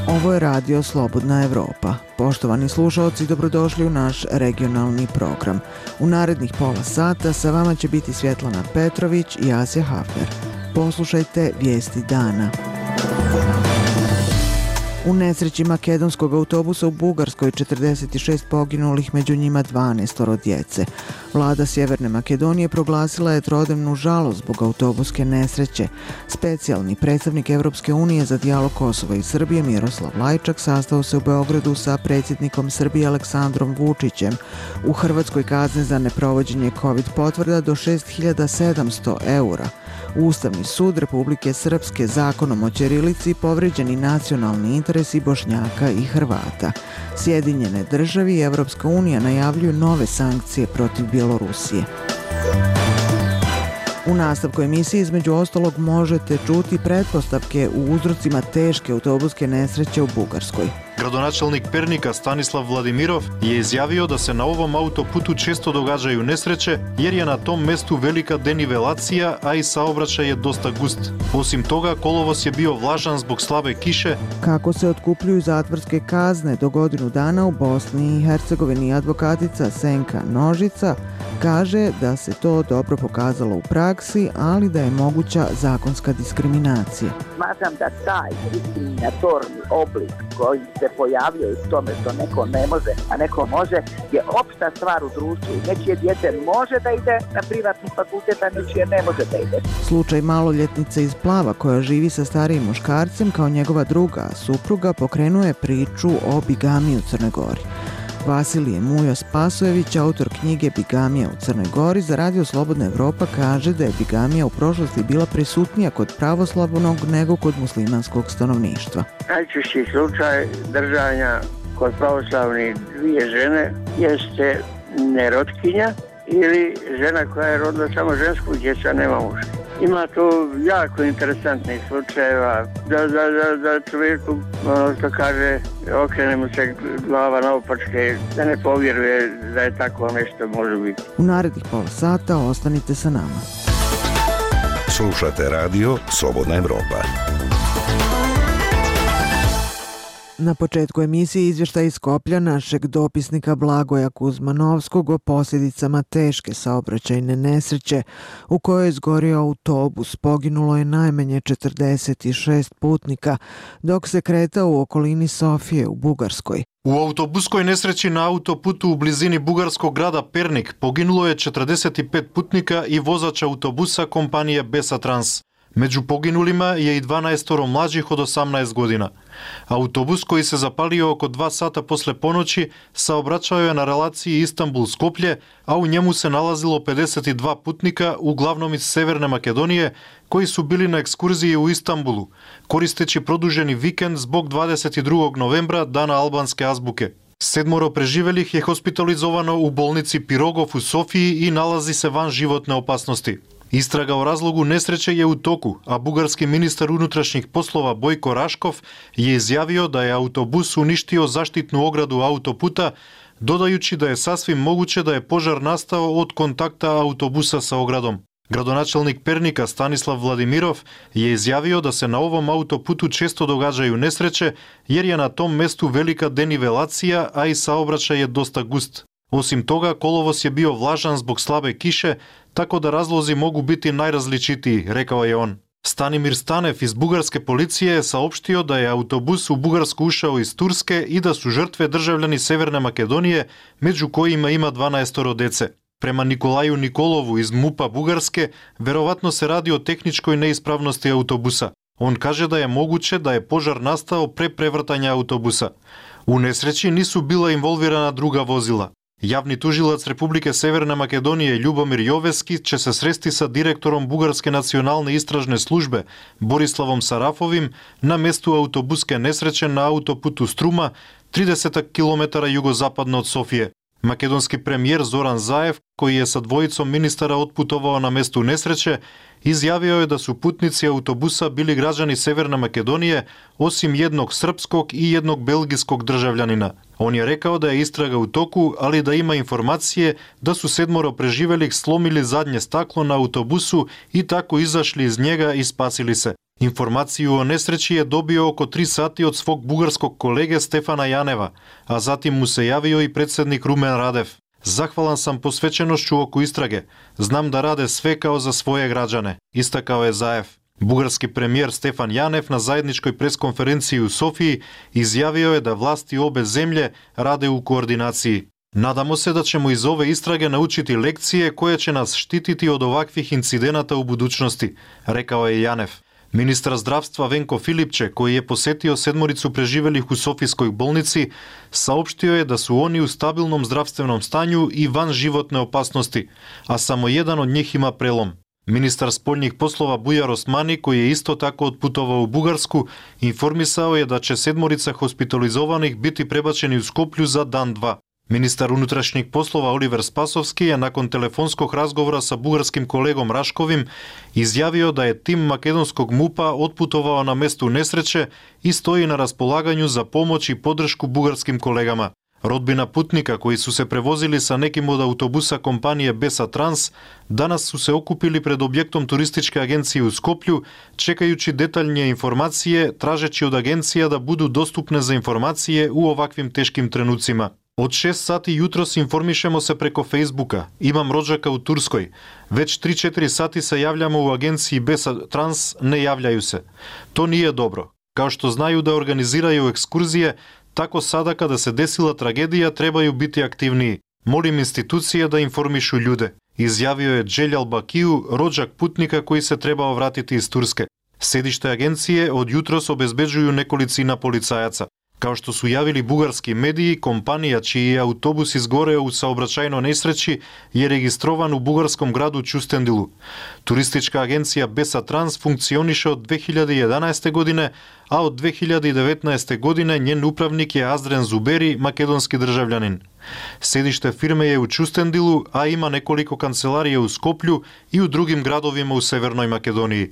Ovo je radio Slobodna Evropa. Poštovani slušalci, dobrodošli u naš regionalni program. U narednih pola sata sa vama će biti Svjetlana Petrović i Asja Hafner. Poslušajte vijesti dana. U nesreći makedonskog autobusa u Bugarskoj 46 poginulih, među njima 12 djece. Vlada Sjeverne Makedonije proglasila je trodnevnu žalost zbog autobuske nesreće. Specijalni predstavnik Europske unije za dijalog Kosova i Srbije Miroslav Lajčak sastao se u Beogradu sa predsjednikom Srbije Aleksandrom Vučićem. U Hrvatskoj kazne za neprovođenje COVID potvrda do 6.700 eura. Ustavni sud Republike Srpske zakonom o ćirilici povrijeđeni nacionalni interesi Bošnjaka i Hrvata. Sjedinjene države i Europska unija najavljuju nove sankcije protiv Bjelorusije. U nastavku emisije između ostalog možete čuti pretpostavke u uzrocima teške autobuske nesreće u Bugarskoj. Gradonačelnik Pernika Stanislav Vladimirov je izjavio da se na ovom autoputu često događaju nesreće jer je na tom mestu velika denivelacija, a i saobraćaj je dosta gust. Osim toga, kolovoz je bio vlažan zbog slabe kiše. Kako se otkupljuju zatvorske kazne do godinu dana u Bosni i Hercegovini, advokatica Senka Nožica kaže da se to dobro pokazalo u praksi, ali da je moguća zakonska diskriminacija. Smatram da taj diskriminatorni oblik koji se pojavljuje u tome što neko ne može, a neko može, je opšta stvar u društvu. Nečije dijete može da ide na privatni fakultet, a nečije ne može da ide. Slučaj maloljetnice iz Plava koja živi sa starijim muškarcem kao njegova druga supruga pokrenuo je priču o bigamiji u Crnoj Gori. Vasilije Mujo Spasojević, autor knjige Bigamija u Crnoj Gori, za radio Slobodna Evropa kaže da je bigamija u prošlosti bila prisutnija kod pravoslavnog nego kod muslimanskog stanovništva. Najčešći slučaj držanja kod pravoslavnih dvije žene jeste nerotkinja ili žena koja je rodila samo žensku djecu, a nema muža. Ima tu jako interesantnih slučajeva da čovjeku, što kaže, okrene mu se glava naopačke, da ne povjeruje da je tako nešto može biti. U narednih pola sata ostanite sa nama. Slušate radio Slobodna Evropa. Na početku emisije izvještaj iz Skoplja našeg dopisnika Blagoja Kuzmanovskog o posljedicama teške saobraćajne nesreće u kojoj je izgorio autobus. Poginulo je najmanje 46 putnika dok se kretao u okolini Sofije u Bugarskoj. U autobuskoj nesreći na autoputu u blizini bugarskog grada Pernik poginulo je 45 putnika i vozač autobusa kompanije Besa Trans. Među poginulima je i 12 mlađih od 18 godina. Autobus koji se zapalio oko 2 sata posle ponoći saobraćao je na relaciji Istanbul-Skoplje, a u njemu se nalazilo 52 putnika, uglavnom iz Severne Makedonije, koji su bili na ekskurziji u Istanbulu, koristeći produženi vikend zbog 22. novembra, dana albanske azbuke. 7 preživelih je hospitalizovano u bolnici Pirogov u Sofiji i nalazi se van životne opasnosti. Istraga o razlogu nesreće je u toku, a bugarski ministar unutrašnjih poslova Bojko Raškov je izjavio da je autobus uništio zaštitnu ogradu autoputa, dodajući da je sasvim moguće da je požar nastao od kontakta autobusa sa ogradom. Gradonačelnik Pernika Stanislav Vladimirov je izjavio da se na ovom autoputu često događaju nesreće jer je na tom mestu velika denivelacija, a i saobraćaj je dosta gust. Osim toga, kolovoz je bio vlažan zbog slabe kiše, tako da razlozi mogu biti najrazličitiji, rekao je on. Stanimir Stanev iz bugarske policije je saopštio da je autobus u Bugarsku ušao iz Turske i da su žrtve državljani Severne Makedonije, među kojima ima 12 dece. Prema Nikolaju Nikolovu iz MUP-a Bugarske, verovatno se radi o tehničkoj neispravnosti autobusa. On kaže da je moguće da je požar nastao pre prevrtanja autobusa. U nesreći nisu bila involvirana druga vozila. Javni tužilac Republike Severne Makedonije Ljubomir Joveski će se sresti sa direktorom Bugarske nacionalne istražne službe Borislavom Sarafovim na mestu autobuske nesreće na autoputu Struma, 30 km jugozapadno od Sofije. Македонски премиер Зоран Заев, кој е со двојицом министара отпутувao на место несреće, изјавио е да су путници автобуса били граѓани Северна Македонија, осим едног српског и едног белгиског држављанина. Он е рекао да е истрага у току, али да има информација да су 7 преживелих сломили задње стакло на автобусу и тако изашли из njega и спасили се. Информацију о несреќи е добио око 3 сати од свог бугарског колеге Стефана Јанева, а затим му се јавио и председник Румен Радев. Захвалан сам посвеченошću око истраге. Знам да раде све као за своје граđане, истакао е Заев. Бугарски премиер Стефан Јанев на заедничкој пресконференција у Софији изјавио е да власти обе земје раде у координацији. Надамо се да ćemo iz ove istrage naučiti lekcije koje će nas štititi od ovakvih incidenata u budućnosti, rekao je Јанев. Министар здравства Венко Филипче, кој е посетио 7 преживелих у Софиској болници, саопштио е да су они у стабилном здравственом стању и ван животне опасности, а само еден од нив има прелом. Министар спољних послова Бујар Османи, кој е исто тако отпутувал у Бугарску, информисао е да ќе 7 хоспитализованих бити пребачени у Скопју за дан-два. Министар унутрашних послова Оливер Спасовски е након телефонскog разговора sa бугарским колегом Рашковим изјавио да е тим македонскog МУПа отпутувao на место несреće и стои на располагању за помоќ и поддршку бугарским колегама. Родбина путника кои су се превозили са неким од автобуса компанија Беса Транс данас су се окупили пред објектом туристичка агенција у Скопју, чекајучи детални информације, тражечи од агенција да буду доступне за информације у оваквим тешким тренуцима. Од 6 сати јутрос информишемо се преко Фејсбука. Имам роđака у Турској. Веќе 3-4 сати се јављамо у агенцији Беса Транс, не јављају се. То nije добро. Као што знају да организирају екскурзија, тако сада када се десила трагедија требају бити активнiji. Молим институција да информишу људе. Изјавио е Джелјал Бакију, роđак путника кој се требао вратити из Турске. Седиште агенције од јутрос обезбеđuju неколицина полицајаца. Као што су јавили бугарски медии, компанија чиј автобус изгорео у саобраќајно несреќи е регистрован у бугарском граду Чустендилу. Туристичка агенција Беса Транс функционише од 2011 године, а од 2019 године njен управник е Аздрен Зубери, македонски држављанин. Седиште фирме е у Чустендилу, а има неколико канцеларија у Скопју и у другим градовима у Северној Македонија.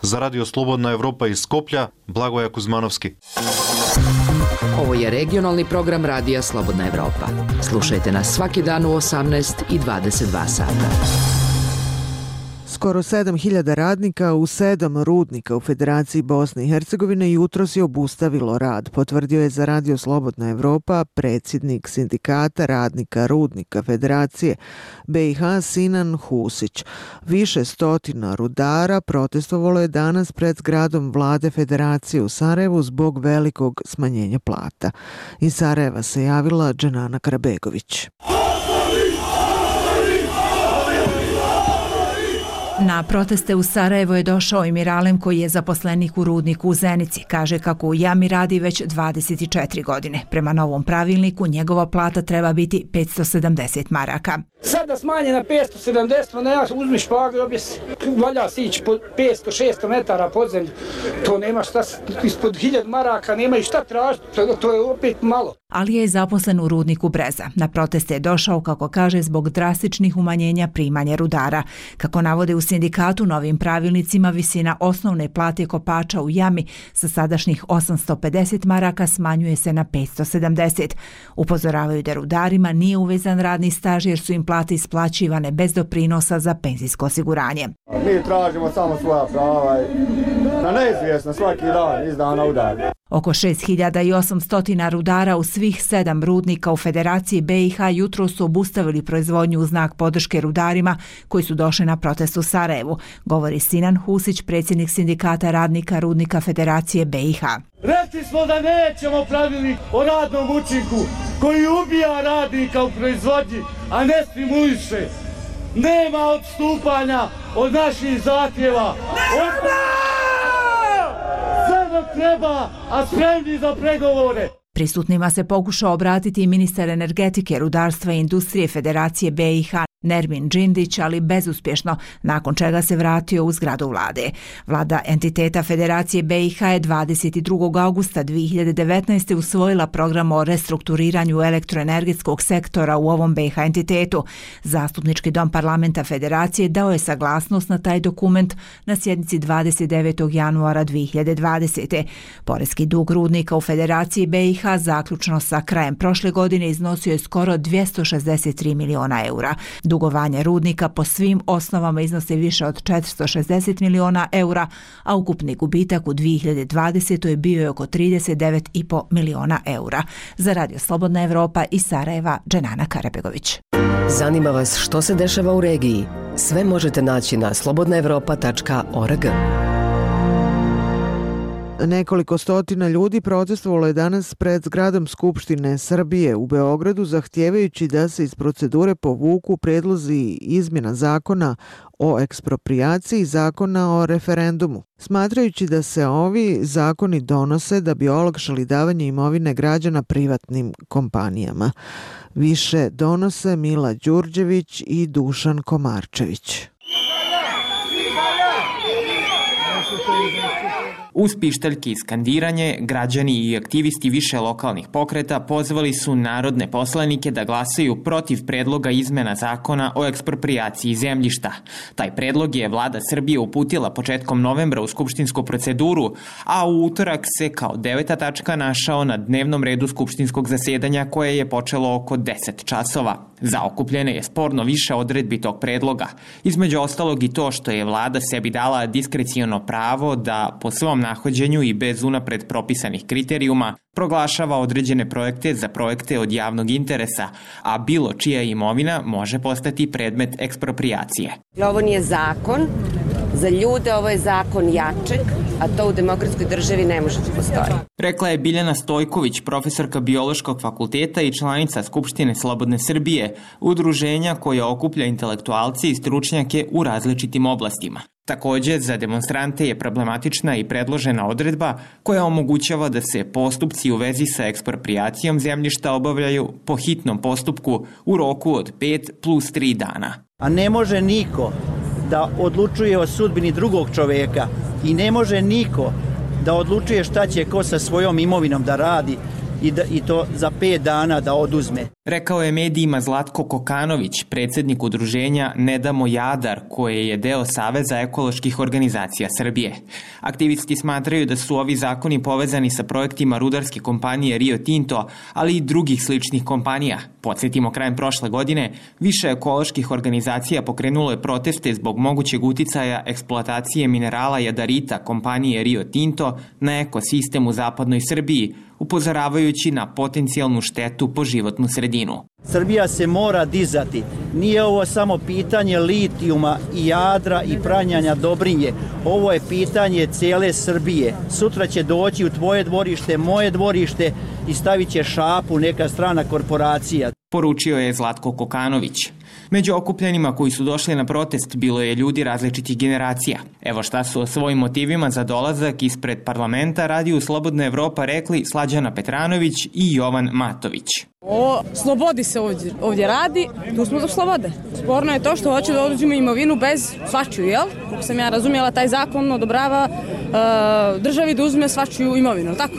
За Радио Слободна Европа из Скопја, Благоја Кузмановски. Ovo je regionalni program Radija Slobodna Evropa. Slušajte nas svaki dan u 18 i 22 sata. Skoro 7.000 radnika u 7 rudnika u Federaciji Bosne i Hercegovine jutros je obustavilo rad, potvrdio je za Radio Slobodna Evropa predsjednik sindikata radnika rudnika Federacije BiH Sinan Husić. Više stotina rudara protestovalo je danas pred zgradom vlade Federacije u Sarajevu zbog velikog smanjenja plata. Iz Sarajeva se javila Dženana Karabegović. Na proteste u Sarajevo je došao i Miralem koji je zaposlenik u rudniku u Zenici. Kaže kako u jami radi već 24 godine. Prema novom pravilniku njegova plata treba biti 570 maraka. Sada smanje na 570, ne ja uzmi špagu i objesi. Valja si ići po 500-600 metara pod zemlju. To nema šta, ispod 1000 maraka nema i šta tražiti. To je opet malo. Ali je zaposlen u rudniku Breza. Na proteste je došao, kako kaže, zbog drastičnih umanjenja primanja rudara. Kako navode u sindikatu, novim pravilnicima visina osnovne plate kopača u jami sa sadašnjih 850 maraka smanjuje se na 570. Upozoravaju da rudarima nije uvezan radni staž jer su im plate isplaćivane bez doprinosa za penzijsko osiguranje. Mi tražimo samo svoja prava na neizvjesno svaki dan iz dana u dan. Oko 6800 rudara u svih 7 rudnika u Federaciji BiH jutro su obustavili proizvodnju u znak podrške rudarima koji su došli na protest u Sarajevu, govori Sinan Husić, predsjednik sindikata radnika rudnika Federacije BiH. Rekli smo da nećemo pravilnik o radnom učinku koji ubija radnika u proizvodnji, a ne stimuliše. Nema odstupanja od naših zahtjeva. Treba, a spremni za pregovore. Prisutnima se pokušao obratiti i ministar energetike, rudarstva i industrije Federacije BiH Nermin Džindić, ali bezuspješno, nakon čega se vratio u zgradu vlade. Vlada entiteta Federacije BiH je 22. augusta 2019. usvojila program o restrukturiranju elektroenergetskog sektora u ovom BiH entitetu. Zastupnički dom parlamenta Federacije dao je saglasnost na taj dokument na sjednici 29. januara 2020. Poreski dug rudnika u Federaciji BiH zaključno sa krajem prošle godine iznosio je skoro 263 miliona eura. Dugovanje rudnika po svim osnovama iznose više od 460 miliona eura, a ukupni gubitak u 2020. je bio oko 39,5 miliona eura. Za Radio Slobodna Evropa iz Sarajeva, Dženana Karabegović. Zanima vas što se dešava u regiji? Sve možete naći na slobodnaevropa.org. Nekoliko stotina ljudi protestovalo je danas pred zgradom Skupštine Srbije u Beogradu zahtijevajući da se iz procedure povuku predlozi izmjena zakona o eksproprijaciji i zakona o referendumu, smatrajući da se ovi zakoni donose da bi olakšali davanje imovine građana privatnim kompanijama. Više donose Mila Đurđević i Dušan Komarčević. Uz pištaljke i skandiranje, građani i aktivisti više lokalnih pokreta pozvali su narodne poslanike da glasaju protiv predloga izmena zakona o eksproprijaciji zemljišta. Taj predlog je vlada Srbije uputila početkom novembra u skupštinsku proceduru, a u utorak se kao 9. tačka našao na dnevnom redu skupštinskog zasedanja koje je počelo oko 10 časova. Zaokupljene je sporno više odredbi tog predloga. Između ostalog i to što je vlada sebi dala diskreciono pravo da po svom nahođenju i bez unapred propisanih kriterijuma proglašava određene projekte za projekte od javnog interesa, a bilo čija imovina može postati predmet eksproprijacije. Ovo nije zakon za ljude, ovo je zakon jačeg, a to u demokratskoj državi ne može da postoji. Rekla je Biljana Stojković, profesorka Biološkog fakulteta i članica Skupštine Slobodne Srbije, udruženja koje okuplja intelektualce i stručnjake u različitim oblastima. Također, za demonstrante je problematična i predložena odredba koja omogućava da se postupci u vezi sa eksproprijacijom zemljišta obavljaju po hitnom postupku u roku od 5 plus 3 dana. A ne može niko da odlučuje o sudbini drugog čoveka i ne može niko da odlučuje šta će ko sa svojom imovinom da radi i to za 5 dana da oduzme. Rekao je medijima Zlatko Kokanović, predsjednik udruženja Ne damo Jadar, koje je deo Saveza ekoloških organizacija Srbije. Aktivisti smatraju da su ovi zakoni povezani sa projektima rudarske kompanije Rio Tinto, ali i drugih sličnih kompanija. Podsjetimo, krajem prošle godine više ekoloških organizacija pokrenulo je proteste zbog mogućeg uticaja eksploatacije minerala jadarita kompanije Rio Tinto na ekosistem u zapadnoj Srbiji, upozoravajući na potencijalnu štetu po životnu sredinu. Srbija se mora dizati. Nije ovo samo pitanje litijuma i Jadra i pranjanja Dobrinje. Ovo je pitanje cijele Srbije. Sutra će doći u tvoje dvorište, moje dvorište i stavit će šapu neka strana korporacija. Poručio je Zlatko Kokanović. Među okupljenima koji su došli na protest bilo je ljudi različitih generacija. Evo šta su o svojim motivima za dolazak ispred parlamenta Radiju Slobodna Evropa rekli Slađana Petranović i Jovan Matović. O slobodi se ovdje radi, tu smo za slobode. Sporno je to što hoće da oduzima imovinu bez svačiju, jel? Kako sam ja razumjela, taj zakon odobrava državi da uzme svačiju imovinu, tako?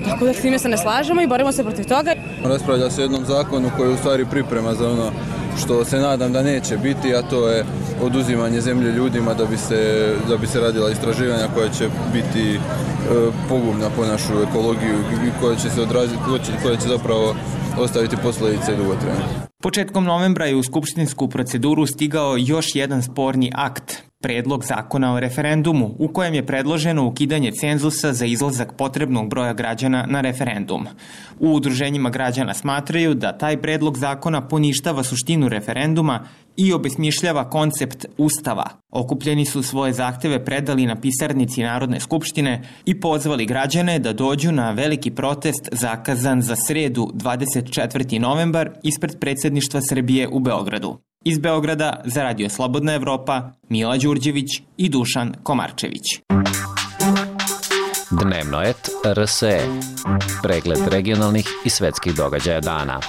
Tako da s time se ne slažemo i borimo se protiv toga. Raspravlja se o jednom zakonu koji je u stvari priprema za ono što se nadam da neće biti, a to je oduzimanje zemlje ljudima da bi se radila istraživanja koja će biti pogubna po našu ekologiju i koja će se odraziti, koja će zapravo ostaviti posljedice dugotrajne. Početkom novembra je u skupštinsku proceduru stigao još jedan sporni akt, predlog zakona o referendumu, u kojem je predloženo ukidanje cenzusa za izlazak potrebnog broja građana na referendum. U udruženjima građana smatraju da taj predlog zakona poništava suštinu referenduma i obesmišljava koncept Ustava. Okupljeni su svoje zahteve predali na pisarnici Narodne skupštine i pozvali građane da dođu na veliki protest zakazan za sredu 24. novembar ispred predsjedništva Srbije u Beogradu. Iz Beograda za Radio Slobodna Evropa, Mila Đurđević i Dušan Komarčević. Dnevno et RSE. Pregled regionalnih i svetskih događaja dana.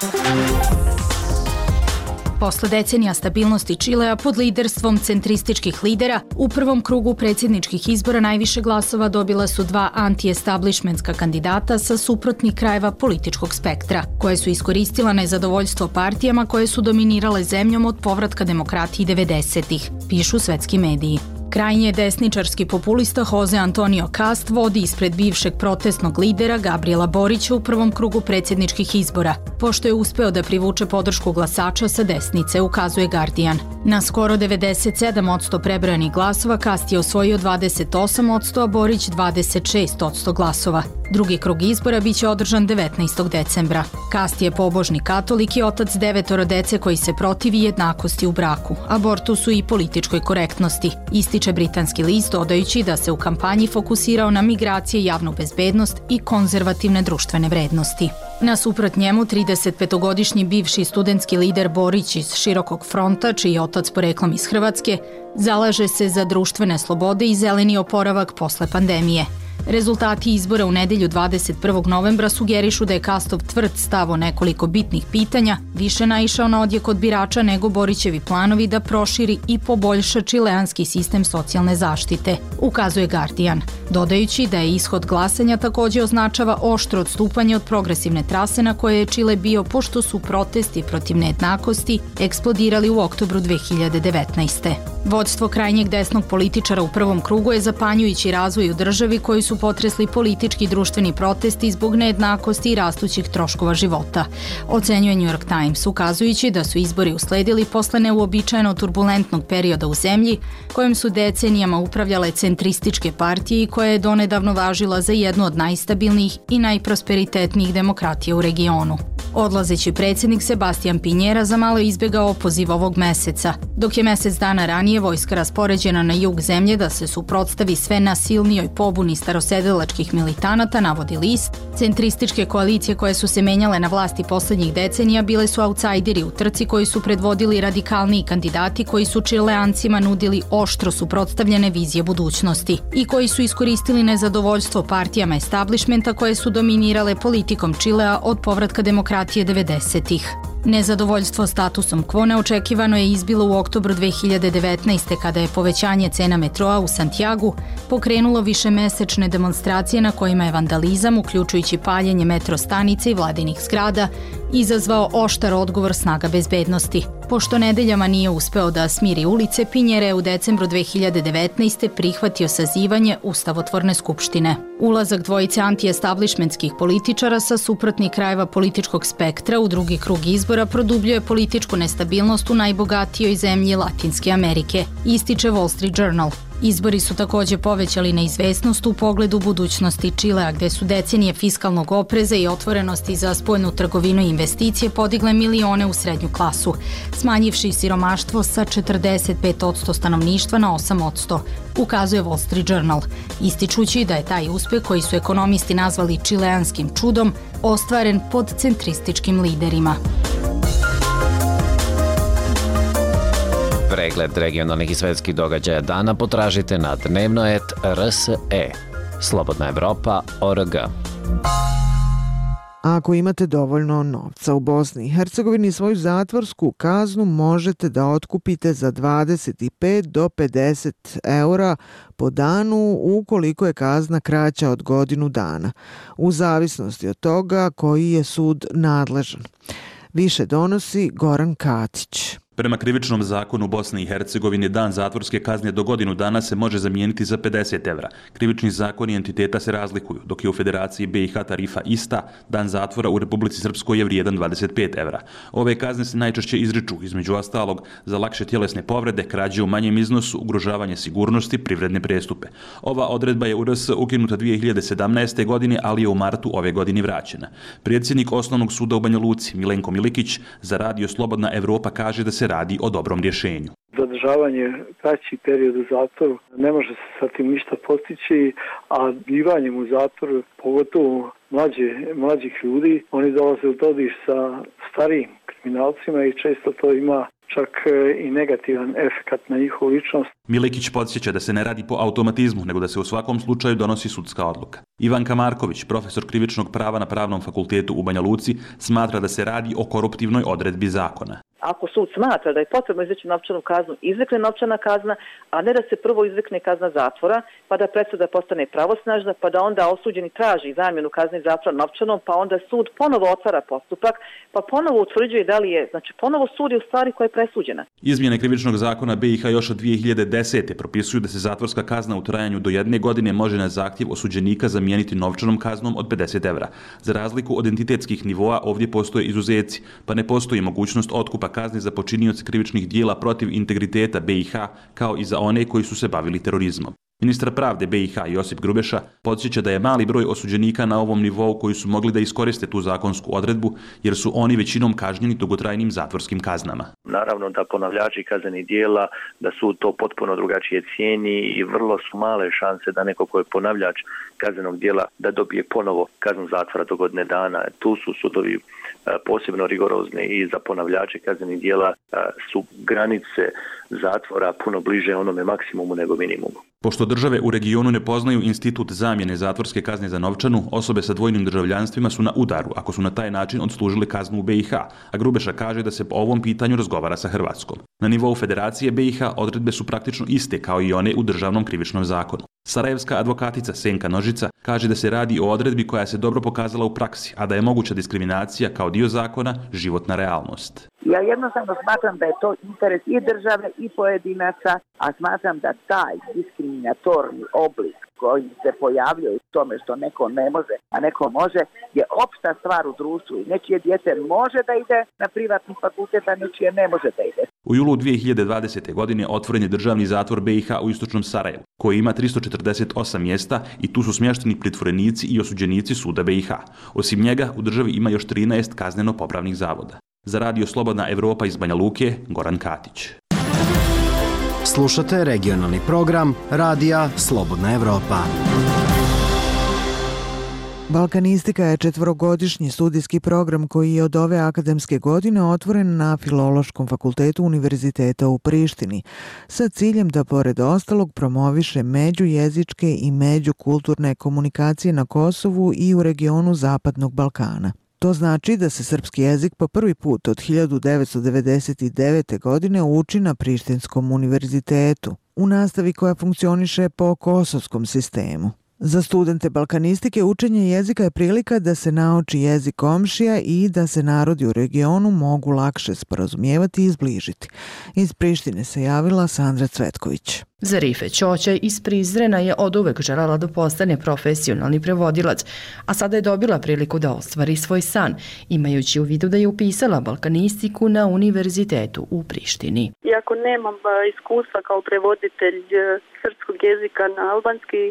Posle decenija stabilnosti Čilea pod liderstvom centrističkih lidera, u prvom krugu predsjedničkih izbora najviše glasova dobila su dva anti-establishmentska kandidata sa suprotnih krajeva političkog spektra, koje su iskoristila nezadovoljstvo partijama koje su dominirale zemljom od povratka demokratiji 90-ih, pišu svetski mediji. Krajnje desničarski populista Jose Antonio Cast vodi ispred bivšeg protestnog lidera Gabriela Borića u prvom krugu predsjedničkih izbora, pošto je uspeo da privuče podršku glasača sa desnice, ukazuje Guardian. Na skoro 97% prebrojanih glasova Cast je osvojio 28%, a Borić 26% glasova. Drugi krug izbora biće održan 19. decembra. Cast je pobožni katolik i otac 9 dece koji se protivi jednakosti u braku, abortusu i političkoj korektnosti, ističe britanski list dodajući da se u kampanji fokusirao na migracije, javnu bezbednost i konzervativne društvene vrednosti. Nasuprot njemu, 35-godišnji bivši studentski lider Borić iz Širokog fronta, čiji je otac poreklom iz Hrvatske, zalaže se za društvene slobode i zeleni oporavak posle pandemije. Rezultati izbora u nedelju 21. novembra sugerišu da je Castov tvrd stav o nekoliko bitnih pitanja više naišao na odjek od birača nego Borićevi planovi da proširi i poboljša čileanski sistem socijalne zaštite, ukazuje Guardian, dodajući da je ishod glasanja također označava oštro odstupanje od progresivne trase na koje je Čile bio pošto su protesti protiv nejednakosti eksplodirali u oktobru 2019. Vodstvo krajnjeg desnog političara u prvom krugu je zapanjujući razvoj u državi koji su potresli politički i društveni protesti zbog nejednakosti i rastućih troškova života, ocenjuje New York Times, ukazujući da su izbori usledili posle neuobičajeno turbulentnog perioda u zemlji kojim su decenijama upravljale centrističke partije i koja je donedavno važila za jednu od najstabilnijih i najprosperitetnijih demokratija u regionu. Odlazeći predsjednik Sebastian Pinjera za malo izbjegao opoziv ovog meseca, dok je mjesec dana ranije vojska raspoređena na jug zemlje da se suprotstavi sve nasilnijoj pobuni starosedelačkih militanata, navodi list. Centrističke koalicije koje su se menjale na vlasti posljednjih decenija bile su autsajderi u trci koji su predvodili radikalniji kandidati koji su Čileancima nudili oštro suprotstavljene vizije budućnosti i koji su iskoristili nezadovoljstvo partijama establishmenta koje su dominirale politikom Čilea od povratka demokratije 90-ih. Nezadovoljstvo statusom quo neočekivano je izbilo u oktobru 2019. kada je povećanje cena metroa u Santiagu pokrenulo višemesečne demonstracije na kojima je vandalizam, uključujući paljenje metro stanice i vladinih zgrada, izazvao oštar odgovor snaga bezbednosti. Pošto nedeljama nije uspeo da smiri ulice, Pinjera je u decembru 2019. prihvatio sazivanje Ustavotvorne skupštine. Ulazak dvojice anti-establishmentskih političara sa suprotnih krajeva političkog spektra u drugi krug izbora produbljuje političku nestabilnost u najbogatijoj zemlji Latinske Amerike, ističe Wall Street Journal. Izbori su također povećali neizvesnost u pogledu budućnosti Čilea, gde su decenije fiskalnog opreza i otvorenosti za spoljnu trgovinu i investicije podigle milione u srednju klasu, smanjivši siromaštvo sa 45% stanovništva na 8%, ukazuje Wall Street Journal, ističući da je taj uspjeh koji su ekonomisti nazvali čileanskim čudom ostvaren pod centrističkim liderima. Pregled regionalnih i svetskih događaja dana potražite na dnevnoet.rse. Slobodna Evropa.org. Ako imate dovoljno novca u Bosni i Hercegovini, svoju zatvorsku kaznu možete da otkupite za 25 do 50 eura po danu ukoliko je kazna kraća od godinu dana, u zavisnosti od toga koji je sud nadležan. Više donosi Goran Katić. Prema krivičnom zakonu u Bosni i Hercegovini dan zatvorske kazne do godinu dana se može zamijeniti za 50 evra. Krivični zakoni entiteta se razlikuju, dok je u Federaciji BiH tarifa ista, dan zatvora u Republici Srpskoj je vrijedan 25 evra. Ove kazne se najčešće izriču, između ostalog, za lakše tjelesne povrede, krađe u manjem iznosu, ugrožavanje sigurnosti, privredne prestupe. Ova odredba je u RS ukinuta 2017. godine, ali je u martu ove godine vraćena. Predsjednik Osnovnog suda u Banja Luci, Milenko Milikić, za radio Slobodna Evropa kaže da se radi o dobrom rješenju. Zadržavanje kraći period u zatvoru ne može se sa tim ništa postići, a bivanjem u zatvoru, pogotovo mlađih ljudi, oni dolaze u dodir sa starijim kriminalcima i često to ima čak i negativan efekt na njihovu ličnost. Milikić podsjeća da se ne radi po automatizmu, nego da se u svakom slučaju donosi sudska odluka. Ivanka Marković, profesor krivičnog prava na Pravnom fakultetu u Banja Luci, smatra da se radi o koruptivnoj odredbi zakona. ako sud smatra da je potrebno izreći novčanu kaznu, izrekne novčana kazna, a ne da se prvo izrekne kazna zatvora, pa da presuda postane pravosnažna, pa da onda osuđeni traži zamjenu kazne zatvora novčanom, pa onda sud ponovo otvara postupak, pa ponovo utvrđuje da li je, znači ponovo sudi u stvari koja je presuđena. Izmjene krivičnog zakona BiH još od 2010. propisuju da se zatvorska kazna u trajanju do 1 godine može na zahtjev osuđenika zamijeniti novčanom kaznom od 50 evra. Za razliku od entitetskih nivoa, ovdje postoje izuzeci, pa ne postoji mogućnost otkupa kazne za počinioce krivičnih dijela protiv integriteta BiH, kao i za one koji su se bavili terorizmom. Ministar pravde BiH Josip Grubeša podsjeća da je mali broj osuđenika na ovom nivou koji su mogli da iskoriste tu zakonsku odredbu, jer su oni većinom kažnjeni dugotrajnim zatvorskim kaznama. Naravno da ponavljači kaznenih dijela, da sud to potpuno drugačije cijeni i vrlo su male šanse da neko ko je ponavljač kaznenog dijela da dobije ponovo kaznu zatvora do godine dana. Tu su sudovi posebno rigorozni i za ponavljače kaznenih dijela su granice zatvora puno bliže onome maksimumu nego minimumu. Pošto države u regionu ne poznaju institut zamjene zatvorske kazne za novčanu, osobe sa dvojnim državljanstvima su na udaru ako su na taj način odslužile kaznu u BiH, a Grubeša kaže da se po ovom pitanju razgovara sa Hrvatskom. Na nivou Federacije BiH odredbe su praktično iste kao i one u državnom krivičnom zakonu. Sarajevska advokatica Senka Nožica kaže da se radi o odredbi koja se dobro pokazala u praksi, a da je moguća diskriminacija kao dio zakona životna realnost. Ja jednostavno smatram da je to interes i države i pojedinaca, a smatram da taj diskriminatorni oblik koji se pojavljuje u tome što neko ne može, a neko može, je opšta stvar u društvu i nečije dijete može da ide na privatni fakultet, a nečije ne može da ide. U julu 2020. godine otvoren je državni zatvor BiH u istočnom Sarajevu, koji ima 348 mjesta i tu su smješteni pritvorenici i osuđenici suda BiH. Osim njega, u državi ima još 13 kazneno-popravnih zavoda. Za Radio Slobodna Evropa iz Banja Luke, Goran Katić. Slušate regionalni program Radija Slobodna Evropa. Balkanistika je 4-godišnji studijski program koji je od ove akademske godine otvoren na Filološkom fakultetu Univerziteta u Prištini, sa ciljem da pored ostalog promoviše međujezičke i međukulturne komunikacije na Kosovu i u regionu Zapadnog Balkana. To znači da se srpski jezik po prvi put od 1999. godine uči na Prištinskom univerzitetu, u nastavi koja funkcioniše po kosovskom sistemu. Za studente balkanistike učenje jezika je prilika da se nauči jezik komšija i da se narodi u regionu mogu lakše sporazumijevati i izbližiti. Iz Prištine se javila Sandra Cvetković. Zarife Ćoća iz Prizrena je oduvek željela da postane profesionalni prevodilac, a sada je dobila priliku da ostvari svoj san, imajući u vidu da je upisala balkanistiku na univerzitetu u Prištini. Iako nemam iskustva kao prevoditelj srpskog jezika na albanski,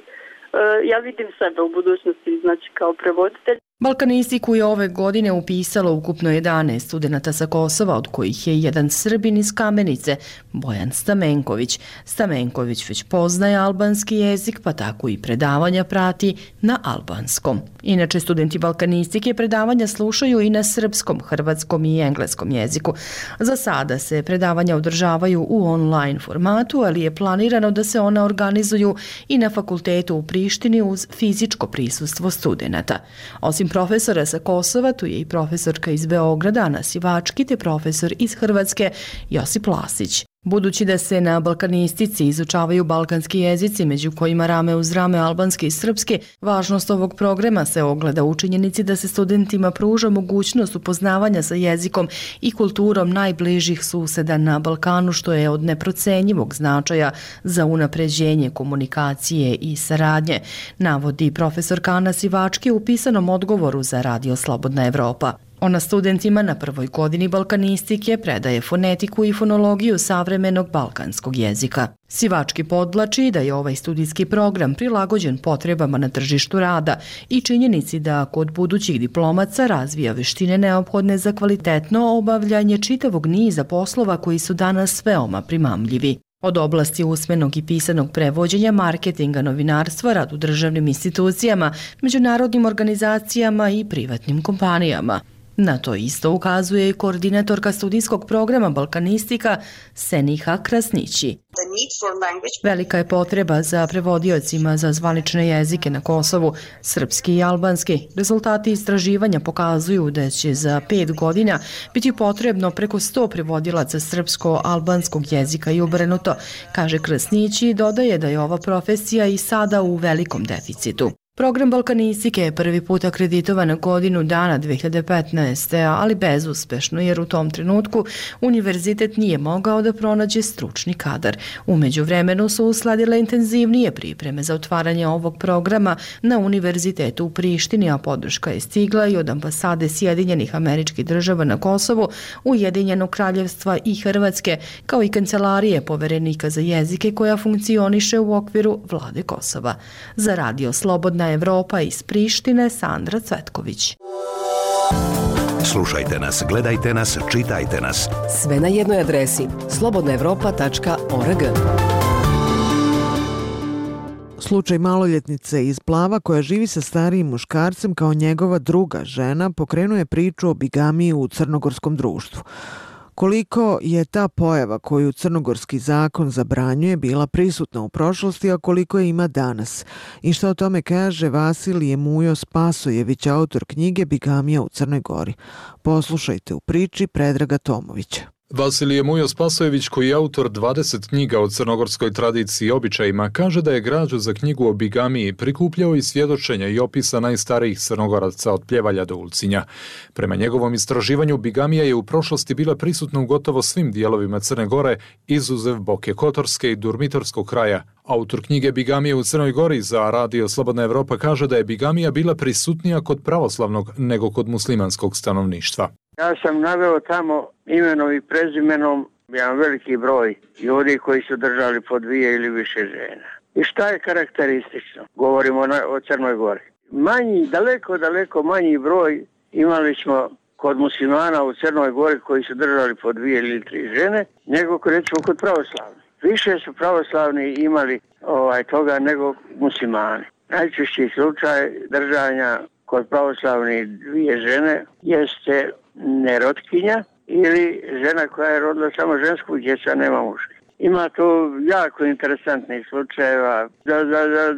ja vidim sebe u budućnosti, znači kao prevoditelj. Balkanistiku je ove godine upisalo ukupno 11 studenata sa Kosova, od kojih je jedan Srbin iz Kamenice, Bojan Stamenković. Stamenković već poznaje albanski jezik, pa tako i predavanja prati na albanskom. Inače, studenti balkanistike predavanja slušaju i na srpskom, hrvatskom i engleskom jeziku. Za sada se predavanja održavaju u online formatu, ali je planirano da se ona organizuju i na fakultetu u Prištini uz fizičko prisustvo studenata. Osim profesora sa Kosova, tu je i profesorka iz Beograda, Ana Sivački, te profesor iz Hrvatske, Josip Lasić. Budući da se na balkanistici izučavaju balkanski jezici, među kojima rame uz rame albanski i srpski, važnost ovog programa se ogleda u činjenici da se studentima pruža mogućnost upoznavanja sa jezikom i kulturom najbližih suseda na Balkanu, što je od neprocenjivog značaja za unapređenje komunikacije i saradnje, navodi profesor Ana Sivački u pisanom odgovoru za Radio Slobodna Evropa. Ona studentima na prvoj godini balkanistike predaje fonetiku i fonologiju savremenog balkanskog jezika. Sivački podvlači da je ovaj studijski program prilagođen potrebama na tržištu rada i činjenici da kod budućih diplomaca razvija veštine neophodne za kvalitetno obavljanje čitavog niza poslova koji su danas veoma primamljivi. Od oblasti usmenog i pisanog prevođenja, marketinga, novinarstva, rad u državnim institucijama, međunarodnim organizacijama i privatnim kompanijama. Na to isto ukazuje i koordinatorka studijskog programa Balkanistika Seniha Krasnići. Velika je potreba za prevodiocima za zvanične jezike na Kosovu, srpski i albanski. Rezultati istraživanja pokazuju da će za 5 godina biti potrebno preko 100 prevodilaca srpsko-albanskog jezika i obrnuto, kaže Krasnići i dodaje da je ova profesija i sada u velikom deficitu. Program Balkanistike je prvi put akreditovan na godinu dana 2015. ali bezuspešno jer u tom trenutku univerzitet nije mogao da pronađe stručni kadar. U međuvremenu su usledile intenzivnije pripreme za otvaranje ovog programa na univerzitetu u Prištini, a podrška je stigla i od ambasade Sjedinjenih Američkih Država na Kosovu, Ujedinjenog Kraljevstva i Hrvatske, kao i kancelarije poverenika za jezike koja funkcioniše u okviru vlade Kosova. Za Radio Slobodna Evropa iz Prištine, Sandra Cvetković. Slušajte nas, gledajte nas, čitajte nas. Sve na jednoj adresi slobodnaevropa.org. Slučaj maloljetnice iz Plava koja živi sa starijim muškarcem kao njegova druga žena pokrenuje priču o bigamiji u crnogorskom društvu. Koliko je ta pojava koju crnogorski zakon zabranjuje bila prisutna u prošlosti, a koliko je ima danas? I što o tome kaže Vasilije Mujo Spasojević, autor knjige Bigamija u Crnoj Gori. Poslušajte u priči Predraga Tomovića. Vasilije Mujo Spasojević, koji je autor 20 knjiga o crnogorskoj tradiciji i običajima, kaže da je građu za knjigu o bigamiji prikupljao i svjedočenja i opisa najstarijih Crnogoraca od Pljevalja do Ulcinja. Prema njegovom istraživanju, bigamija je u prošlosti bila prisutna u gotovo svim dijelovima Crne Gore, izuzev Boke Kotorske i Durmitorskog kraja. Autor knjige Bigamije u Crnoj Gori za Radio Slobodna Evropa kaže da je bigamija bila prisutnija kod pravoslavnog nego kod muslimanskog stanovništva. Ja sam naveo tamo imenom i prezimenom jedan veliki broj ljudi koji su držali po 2 ili više žena. I šta je karakteristično? Govorimo o Crnoj Gori. Daleko manji broj imali smo kod muslimana u Crnoj Gori koji su držali po 2 ili 3 žene, nego recimo kod pravoslavnih. Više su pravoslavni imali toga nego muslimani. Najčešći slučaj držanja kod pravoslavnih 2 žene jeste nerotkinja ili žena koja je rodila samo žensku djecu, a nema muške. Ima tu jako interesantnih slučajeva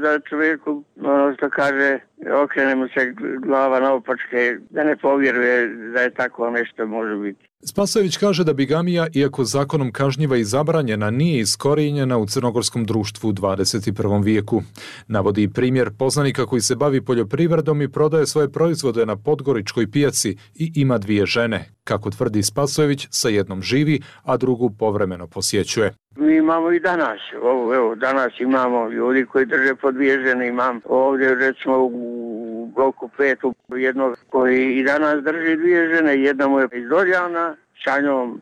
da čovjeku, što kaže, okrene mu se glava naopačke, da ne povjeruje da je tako nešto može biti. Spasojević kaže da bigamija, iako zakonom kažnjiva i zabranjena, nije iskorijenjena u crnogorskom društvu u 21. vijeku. Navodi primjer poznanika koji se bavi poljoprivredom i prodaje svoje proizvode na podgoričkoj pijaci i ima 2 žene. Kako tvrdi Spasojević, sa jednom živi, a drugu povremeno posjećuje. Mi imamo i danas. Danas imamo ljudi koji drže po 2 žene. Imam ovdje recimo u bloku 5 jednog koji i danas drži 2 žene. Jedna mu je iz Doljana, sa njom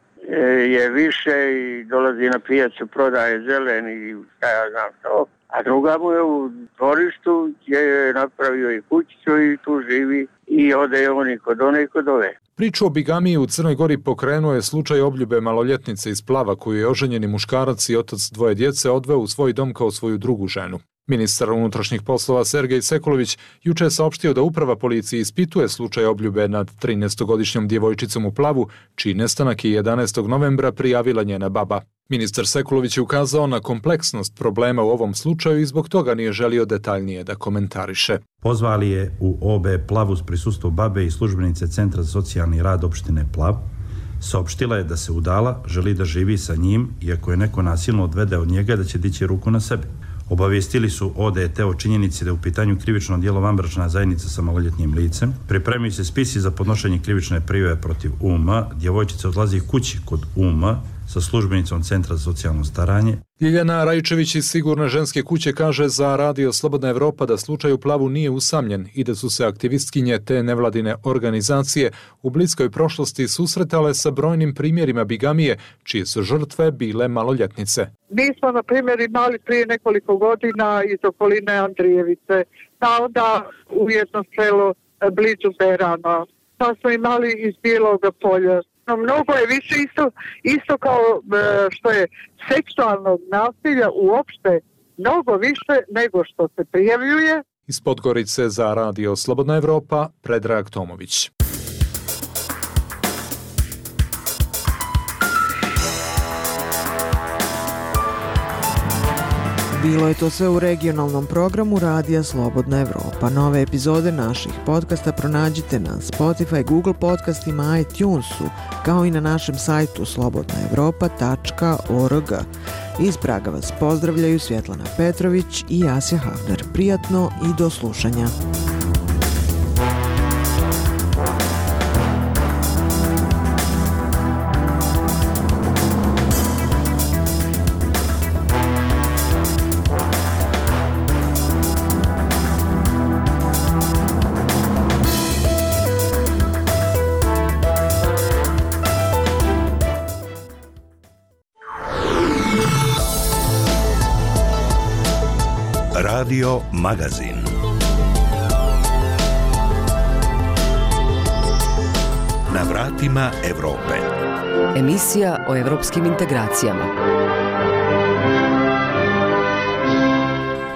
je više i dolazi na pijacu, prodaje zelen i šta ja znam to. A druga mu je u dvorištu gdje je napravio i kućicu i tu živi i ode oni kod one i kod ove. Priču o bigamiji u Crnoj Gori pokrenuo je slučaj obljube maloljetnice iz Plava koju je oženjeni muškarac i otac 2 djece odveo u svoj dom kao svoju drugu ženu. Ministar unutrašnjih poslova Sergej Sekulović juče je saopštio da uprava policije ispituje slučaj obljube nad 13-godišnjom djevojčicom u Plavu, čiji nestanak je 11. novembra prijavila njena baba. Ministar Sekulović je ukazao na kompleksnost problema u ovom slučaju i zbog toga nije želio detaljnije da komentariše. Pozvali je u OB Plavu uz prisustvo babe i službenice Centra za socijalni rad opštine Plav. Saopštila je da se udala, želi da živi sa njim, iako je neko nasilno odvede od njega da će dići ruku na sebe. Obavijestili su ODT o činjenici da je u pitanju krivično djelo vanbračna zajednica sa maloljetnim licem. Pripremaju se spisi za podnošenje krivične prijave protiv UM. Djevojčica odlazi kući kod UM sa službenicom Centra za socijalno staranje. Ljiljana Rajčević iz Sigurne ženske kuće kaže za Radio Slobodna Evropa da slučaj u Plavu nije usamljen i da su se aktivistkinje te nevladine organizacije u bliskoj prošlosti susretale sa brojnim primjerima bigamije, čije su žrtve bile maloljetnice. Mi smo, na primjer, imali prije nekoliko godina iz okoline Andrijevice, pa onda u jedno selo blizu Berana, pa smo imali iz Bijeloga polja. Mnogo je više isto kao što je seksualnog nasilja uopšte, mnogo više nego što se prijavljuje. Iz Podgorice za Radio Slobodna Evropa, Predrag Tomović. Bilo je to sve u regionalnom programu Radija Slobodna Evropa. Nove epizode naših podcasta pronađite na Spotify, Google podcastima, iTunesu, kao i na našem sajtu slobodnaevropa.org. Iz Praga vas pozdravljaju Svjetlana Petrović i Jasja Havner. Prijatno i do slušanja. Radio Magazin. Na vratima Evrope. Emisija o evropskim integracijama.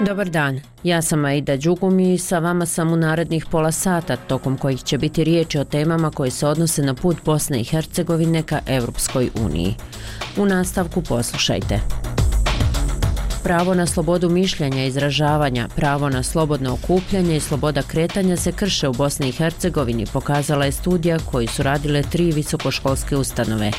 Dobar dan, ja sam Aida Đugum i sa vama sam u narednih pola sata, tokom kojih će biti riječi o temama koje se odnose na put Bosne i Hercegovine ka Evropskoj uniji. U nastavku poslušajte. Pravo na slobodu mišljenja i izražavanja, pravo na slobodno okupljanje i sloboda kretanja se krše u Bosni i Hercegovini, pokazala je studija koju su radile 3 visokoškolske ustanove.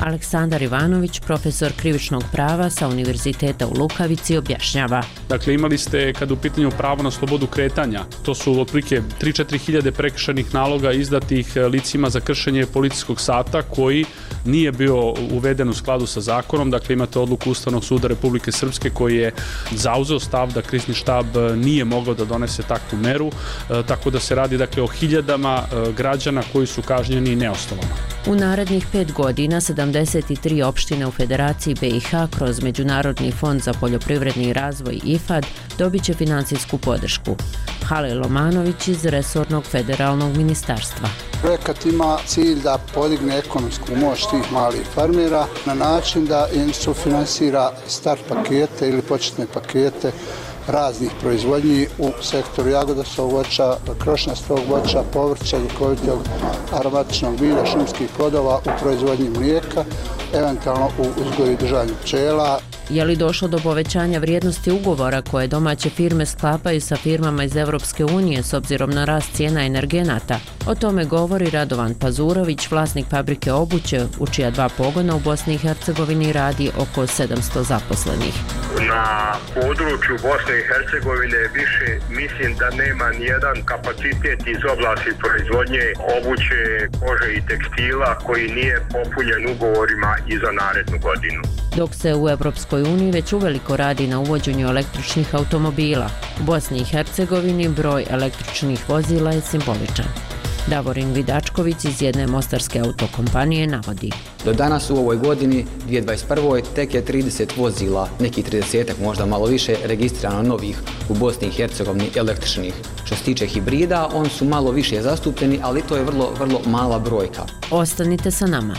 Aleksandar Ivanović, profesor krivičnog prava sa Univerziteta u Lukavici, objašnjava. Dakle, imali ste, kada u pitanju pravo na slobodu kretanja, to su otprilike 3-4 hiljade prekršajnih naloga izdatih licima za kršenje policijskog sata koji nije bio uveden u skladu sa zakonom. Dakle, imate odluku Ustavnog suda Republike Srpske koji je zauzeo stav da krizni štab nije mogao da donese takvu meru, tako da se radi dakle o hiljadama građana koji su kažnjeni neosnovano. U narednih 5 godina 73 opštine u Federaciji BiH kroz Međunarodni fond za poljoprivredni razvoj IFAD dobit će financijsku podršku. Halil Lomanović iz resornog federalnog ministarstva. Projekat ima cilj da podigne ekonomsku moć tih malih farmera na način da im sufinansira start pakete ili početne pakete raznih proizvodnji u sektoru jagodasovog voća, krošnjastog voća, povrća, ljekovitog aromatičnog bilja, šumskih plodova u proizvodnji mlijeka, eventualno u uzgoju i držanju pčela. Je li došlo do povećanja vrijednosti ugovora koje domaće firme sklapaju sa firmama iz Evropske unije s obzirom na rast cijena energenata? O tome govori Radovan Pazurović, vlasnik fabrike obuće, u čija 2 pogona u Bosni i Hercegovini radi oko 700 zaposlenih. Na području Bosne i Hercegovine više mislim da nema nijedan kapacitet iz oblasti proizvodnje obuće, kože i tekstila koji nije popunjen ugovorima i za narednu godinu. Dok se u Evropskoj uniji već uveliko radi na uvođenju električnih automobila, u Bosni i Hercegovini broj električnih vozila je simboličan. Davorin Vidačković iz jedne mostarske autokompanije navodi. Do danas u ovoj godini, 2021. tek je 30 vozila, neki 30-ak, možda malo više, registrirano novih u Bosni i Hercegovini električnih. Što se tiče hibrida, oni su malo više zastupljeni, ali to je vrlo mala brojka. Ostanite sa nama.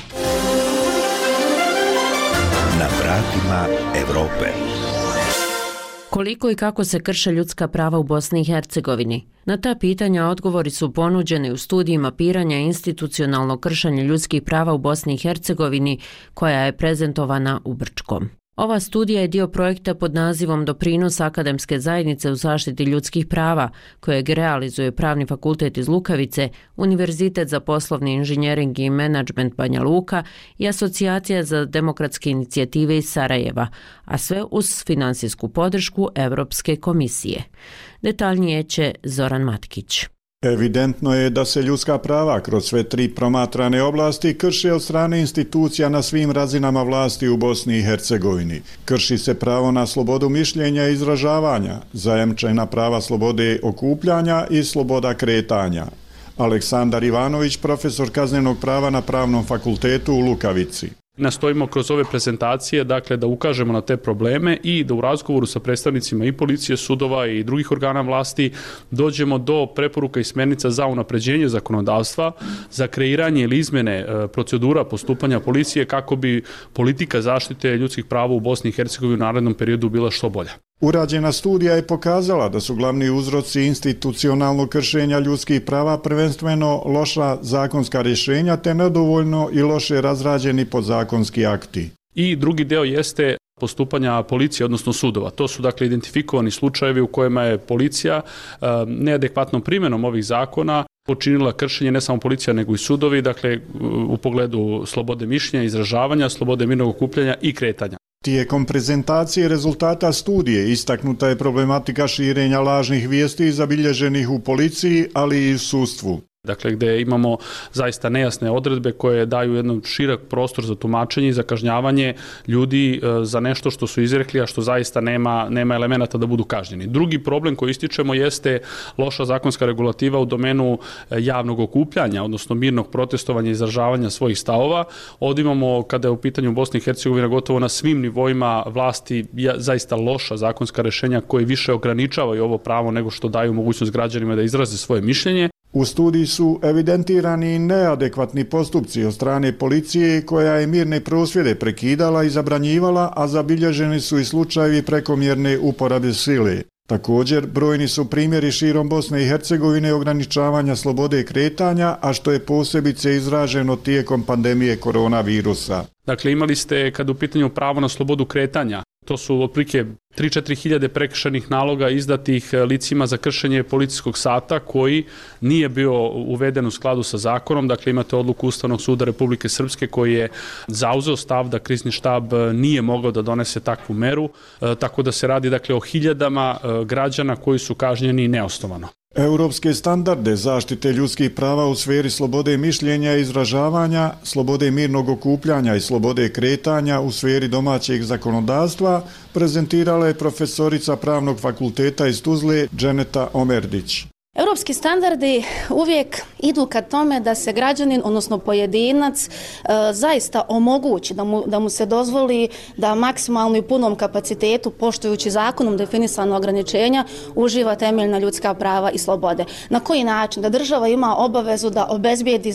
Na vratima Evrope. Koliko i kako se krše ljudska prava u Bosni i Hercegovini? Na ta pitanja odgovori su ponuđeni u studiji mapiranja institucionalnog kršenja ljudskih prava u Bosni i Hercegovini koja je prezentovana u Brčkom. Ova studija je dio projekta pod nazivom Doprinos akademske zajednice u zaštiti ljudskih prava, kojeg realizuje Pravni fakultet iz Lukavice, Univerzitet za poslovni inženjering i menadžment Banja Luka i Asocijacija za demokratske inicijative iz Sarajeva, a sve uz finansijsku podršku Evropske komisije. Detaljnije će Zoran Matkić. Evidentno je da se ljudska prava kroz sve 3 promatrane oblasti krše od strane institucija na svim razinama vlasti u Bosni i Hercegovini. Krši se pravo na slobodu mišljenja i izražavanja, zajamčena prava slobode okupljanja i sloboda kretanja. Aleksandar Ivanović, profesor kaznenog prava na Pravnom fakultetu u Lukavici. Nastojimo kroz ove prezentacije dakle da ukažemo na te probleme i da u razgovoru sa predstavnicima i policije, sudova i drugih organa vlasti dođemo do preporuka i smjernica za unapređenje zakonodavstva, za kreiranje ili izmjene procedura postupanja policije kako bi politika zaštite ljudskih prava u Bosni i Hercegovini u narednom periodu bila što bolja. Urađena studija je pokazala da su glavni uzroci institucionalnog kršenja ljudskih prava prvenstveno loša zakonska rješenja te nedovoljno i loše razrađeni podzakonski akti. I drugi deo jeste postupanja policije, odnosno sudova. To su dakle identifikovani slučajevi u kojima je policija neadekvatnom primjenom ovih zakona počinila kršenje, ne samo policija nego i sudovi, dakle u pogledu slobode mišljenja, izražavanja, slobode mirnog okupljanja i kretanja. Tijekom prezentacije rezultata studije istaknuta je problematika širenja lažnih vijesti zabilježenih u policiji, ali i u sudstvu. Dakle, gdje imamo zaista nejasne odredbe koje daju jedan širok prostor za tumačenje i za kažnjavanje ljudi za nešto što su izrekli, a što zaista nema elemenata da budu kažnjeni. Drugi problem koji ističemo jeste loša zakonska regulativa u domenu javnog okupljanja, odnosno mirnog protestovanja i izražavanja svojih stavova. Ovdje imamo, kada je u pitanju Bosne i Hercegovine, gotovo na svim nivoima vlasti zaista loša zakonska rješenja koji više ograničavaju ovo pravo nego što daju mogućnost građanima da izraze svoje mišljenje. U studiji su evidentirani neadekvatni postupci od strane policije koja je mirne prosvjede prekidala i zabranjivala, a zabilježeni su i slučajevi prekomjerne uporabe sile. Također, brojni su primjeri širom Bosne i Hercegovine ograničavanja slobode kretanja, a što je posebice izraženo tijekom pandemije koronavirusa. Dakle, imali ste, kad u pitanju pravo na slobodu kretanja, to su otprilike 3-4 hiljade prekršajnih naloga izdatih licima za kršenje policijskog sata koji nije bio uveden u skladu sa zakonom. Dakle, imate odluku Ustavnog suda Republike Srpske koji je zauzeo stav da krizni štab nije mogao da donese takvu meru, tako da se radi dakle o hiljadama građana koji su kažnjeni neosnovano. Europske standarde zaštite ljudskih prava u sferi slobode mišljenja i izražavanja, slobode mirnog okupljanja i slobode kretanja u sferi domaćeg zakonodavstva prezentirala je profesorica Pravnog fakulteta iz Tuzle Dženeta Omerdić. Europski standardi uvijek idu ka tome da se građanin, odnosno pojedinac, zaista omogući, da mu se dozvoli da maksimalno i punom kapacitetu, poštujući zakonom definisano ograničenja, uživa temeljna ljudska prava i slobode. Na koji način? Da država ima obavezu da obezbijedi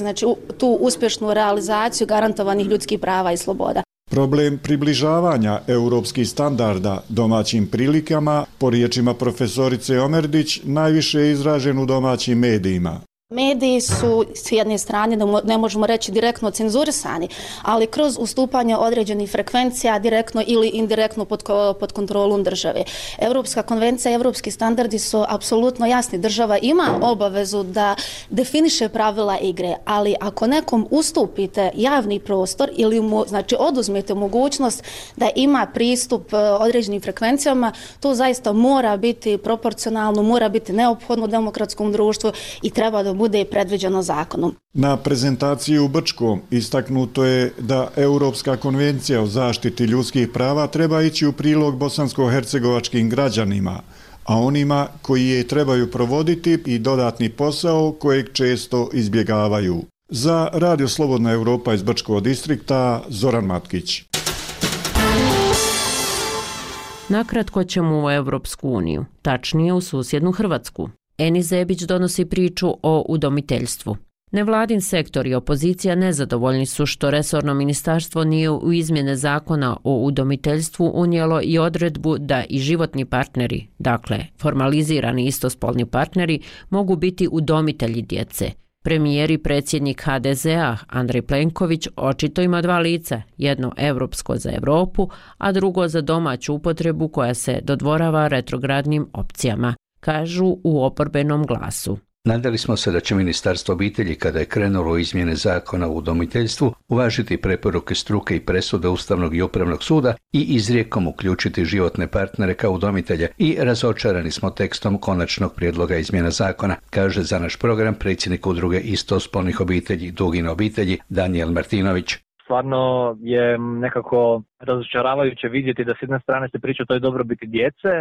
tu uspješnu realizaciju garantovanih ljudskih prava i sloboda. Problem približavanja europskih standarda domaćim prilikama, po riječima profesorice Omerdić, najviše je izražen u domaćim medijima. Mediji su s jedne strane, ne možemo reći direktno cenzurisani, ali kroz ustupanje određenih frekvencija direktno ili indirektno pod kontrolom države. Europska konvencija i europski standardi su apsolutno jasni. Država ima obavezu da definiše pravila igre, ali ako nekom ustupite javni prostor ili mu oduzmete mogućnost da ima pristup određenim frekvencijama, to zaista mora biti proporcionalno, mora biti neophodno u demokratskom društvu i treba da bude predviđeno zakonom. Na prezentaciji u Brčkom istaknuto je da Europska konvencija o zaštiti ljudskih prava treba ići u prilog bosansko-hercegovačkim građanima, a onima koji je trebaju provoditi i dodatni posao kojeg često izbjegavaju. Za Radio Slobodna Europa iz Brčkog distrikta, Zoran Matkić. Nakratko ćemo u Evropsku uniju, tačnije u susjednu Hrvatsku. Eni Zebić donosi priču o udomiteljstvu. Nevladin sektor i opozicija nezadovoljni su što resorno ministarstvo nije u izmjene zakona o udomiteljstvu unijelo i odredbu da i životni partneri, dakle formalizirani istospolni partneri, mogu biti udomitelji djece. Premijer i predsjednik HDZ-a Andrej Plenković očito ima dva lica, jedno europsko za Europu, a drugo za domaću upotrebu koja se dodvorava retrogradnim opcijama, kažu u oporbenom Glasu. Nadali smo se da će Ministarstvo obitelji, kada je krenulo u izmjene zakona o udomiteljstvu, uvažiti preporuke struke i presude Ustavnog i Upravnog suda i izrijekom uključiti životne partnere kao udomitelje i razočarani smo tekstom konačnog prijedloga izmjena zakona, kaže za naš program predsjednik udruge istospolnih obitelji Dugine obitelji Danijel Martinović. Stvarno je nekako razočaravajuće vidjeti da s jedne strane se priča o toj dobrobiti djece,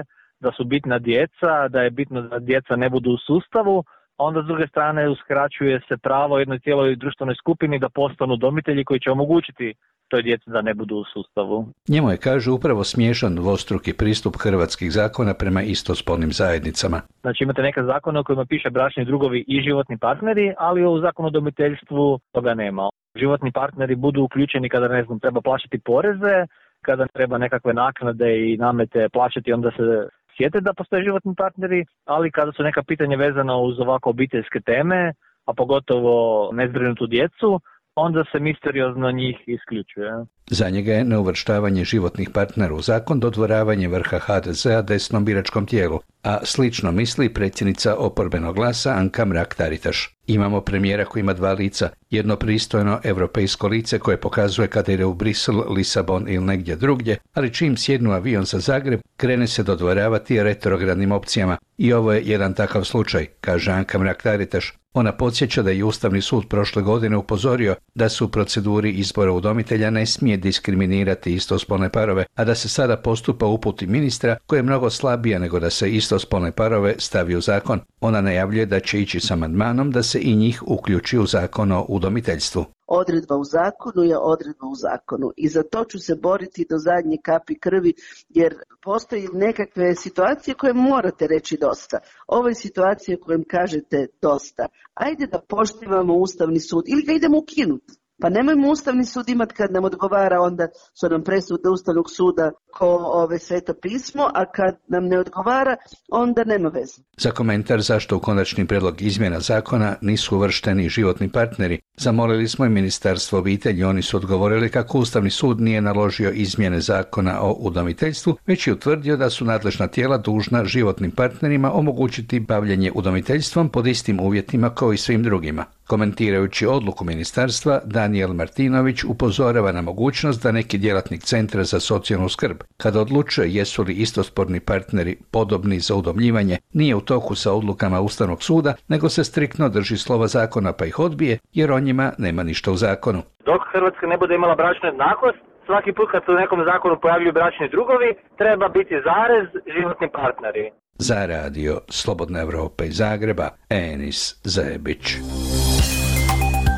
da su bitna djeca, da je bitno da djeca ne budu u sustavu, a onda s druge strane uskraćuje se pravo jednoj cijeloj društvenoj skupini da postanu udomitelji koji će omogućiti toj djeci da ne budu u sustavu. Njemu je, kaže, upravo smiješan dvostruki pristup hrvatskih zakona prema istospolnim zajednicama. Znači imate neke zakone u kojima piše bračni drugovi i životni partneri, ali u zakonu o udomiteljstvu toga nema. Životni partneri budu uključeni kada, treba plaćati poreze, kada treba nekakve naknade i namete plaćati, onda se sjete da postoje životni partneri, ali kada su neka pitanja vezana uz ovako obiteljske teme, a pogotovo nezbrinutu djecu, onda se misteriozno njih isključuje. Za njega je neuvrštavanje životnih partnera u zakon dodvoravanje vrha HDZ-a desnom biračkom tijelu, a slično misli predsjednica oporbenog glasa Anka Mrak-Taritaš. Imamo premijera koji ima dva lica, jedno pristojno europejsko lice koje pokazuje kada ide u Brisel, Lisabon ili negdje drugdje, ali čim sjednu avion za Zagreb, krene se dodvoravati retrogradnim opcijama. I ovo je jedan takav slučaj, kaže Anka Mrak-Taritaš. Ona podsjeća da je Ustavni sud prošle godine upozorio da se u proceduri izbora udomitelja ne smije diskriminirati istospolne parove, a da se sada postupa uputi ministra koja je mnogo slabija nego da se istospolne parove stavi u zakon. Ona najavljuje da će ići s amandmanom da se i njih uključi u zakon o udomiteljstvu. Odredba u zakonu je odredba u zakonu i za to ću se boriti do zadnje kapi krvi, jer postoji nekakve situacije koje morate reći dosta. Ovo je situacija kojem kažete dosta. Ajde da poštivamo Ustavni sud ili ga idemo ukinuti. Pa nemojmo Ustavni sud imati kad nam odgovara, onda su nam presude Ustavnog suda ko Sveto pismo, a kad nam ne odgovara, onda nema veze. Za komentar zašto u konačni prijedlog izmjena zakona nisu uvršteni životni partneri, zamolili smo i Ministarstvo obitelji. Oni su odgovorili kako Ustavni sud nije naložio izmjene zakona o udomiteljstvu, već je utvrdio da su nadležna tijela dužna životnim partnerima omogućiti bavljenje udomiteljstvom pod istim uvjetima kao i svim drugima. Komentirajući odluku ministarstva, Danijel Martinović upozorava na mogućnost da neki djelatnik Centra za socijalnu skrb, kada odlučuje jesu li istospolni partneri podobni za udomljivanje, nije u toku sa odlukama Ustavnog suda, nego se striktno drži slova zakona pa ih odbije, jer o njima nema ništa u zakonu. Dok Hrvatska ne bude imala bračnu jednakost, svaki put kad se u nekom zakonu pojavljuju bračni drugovi, treba biti zarez životni partneri. Za radio Slobodna Evropa iz Zagreba, Enis Zajebić.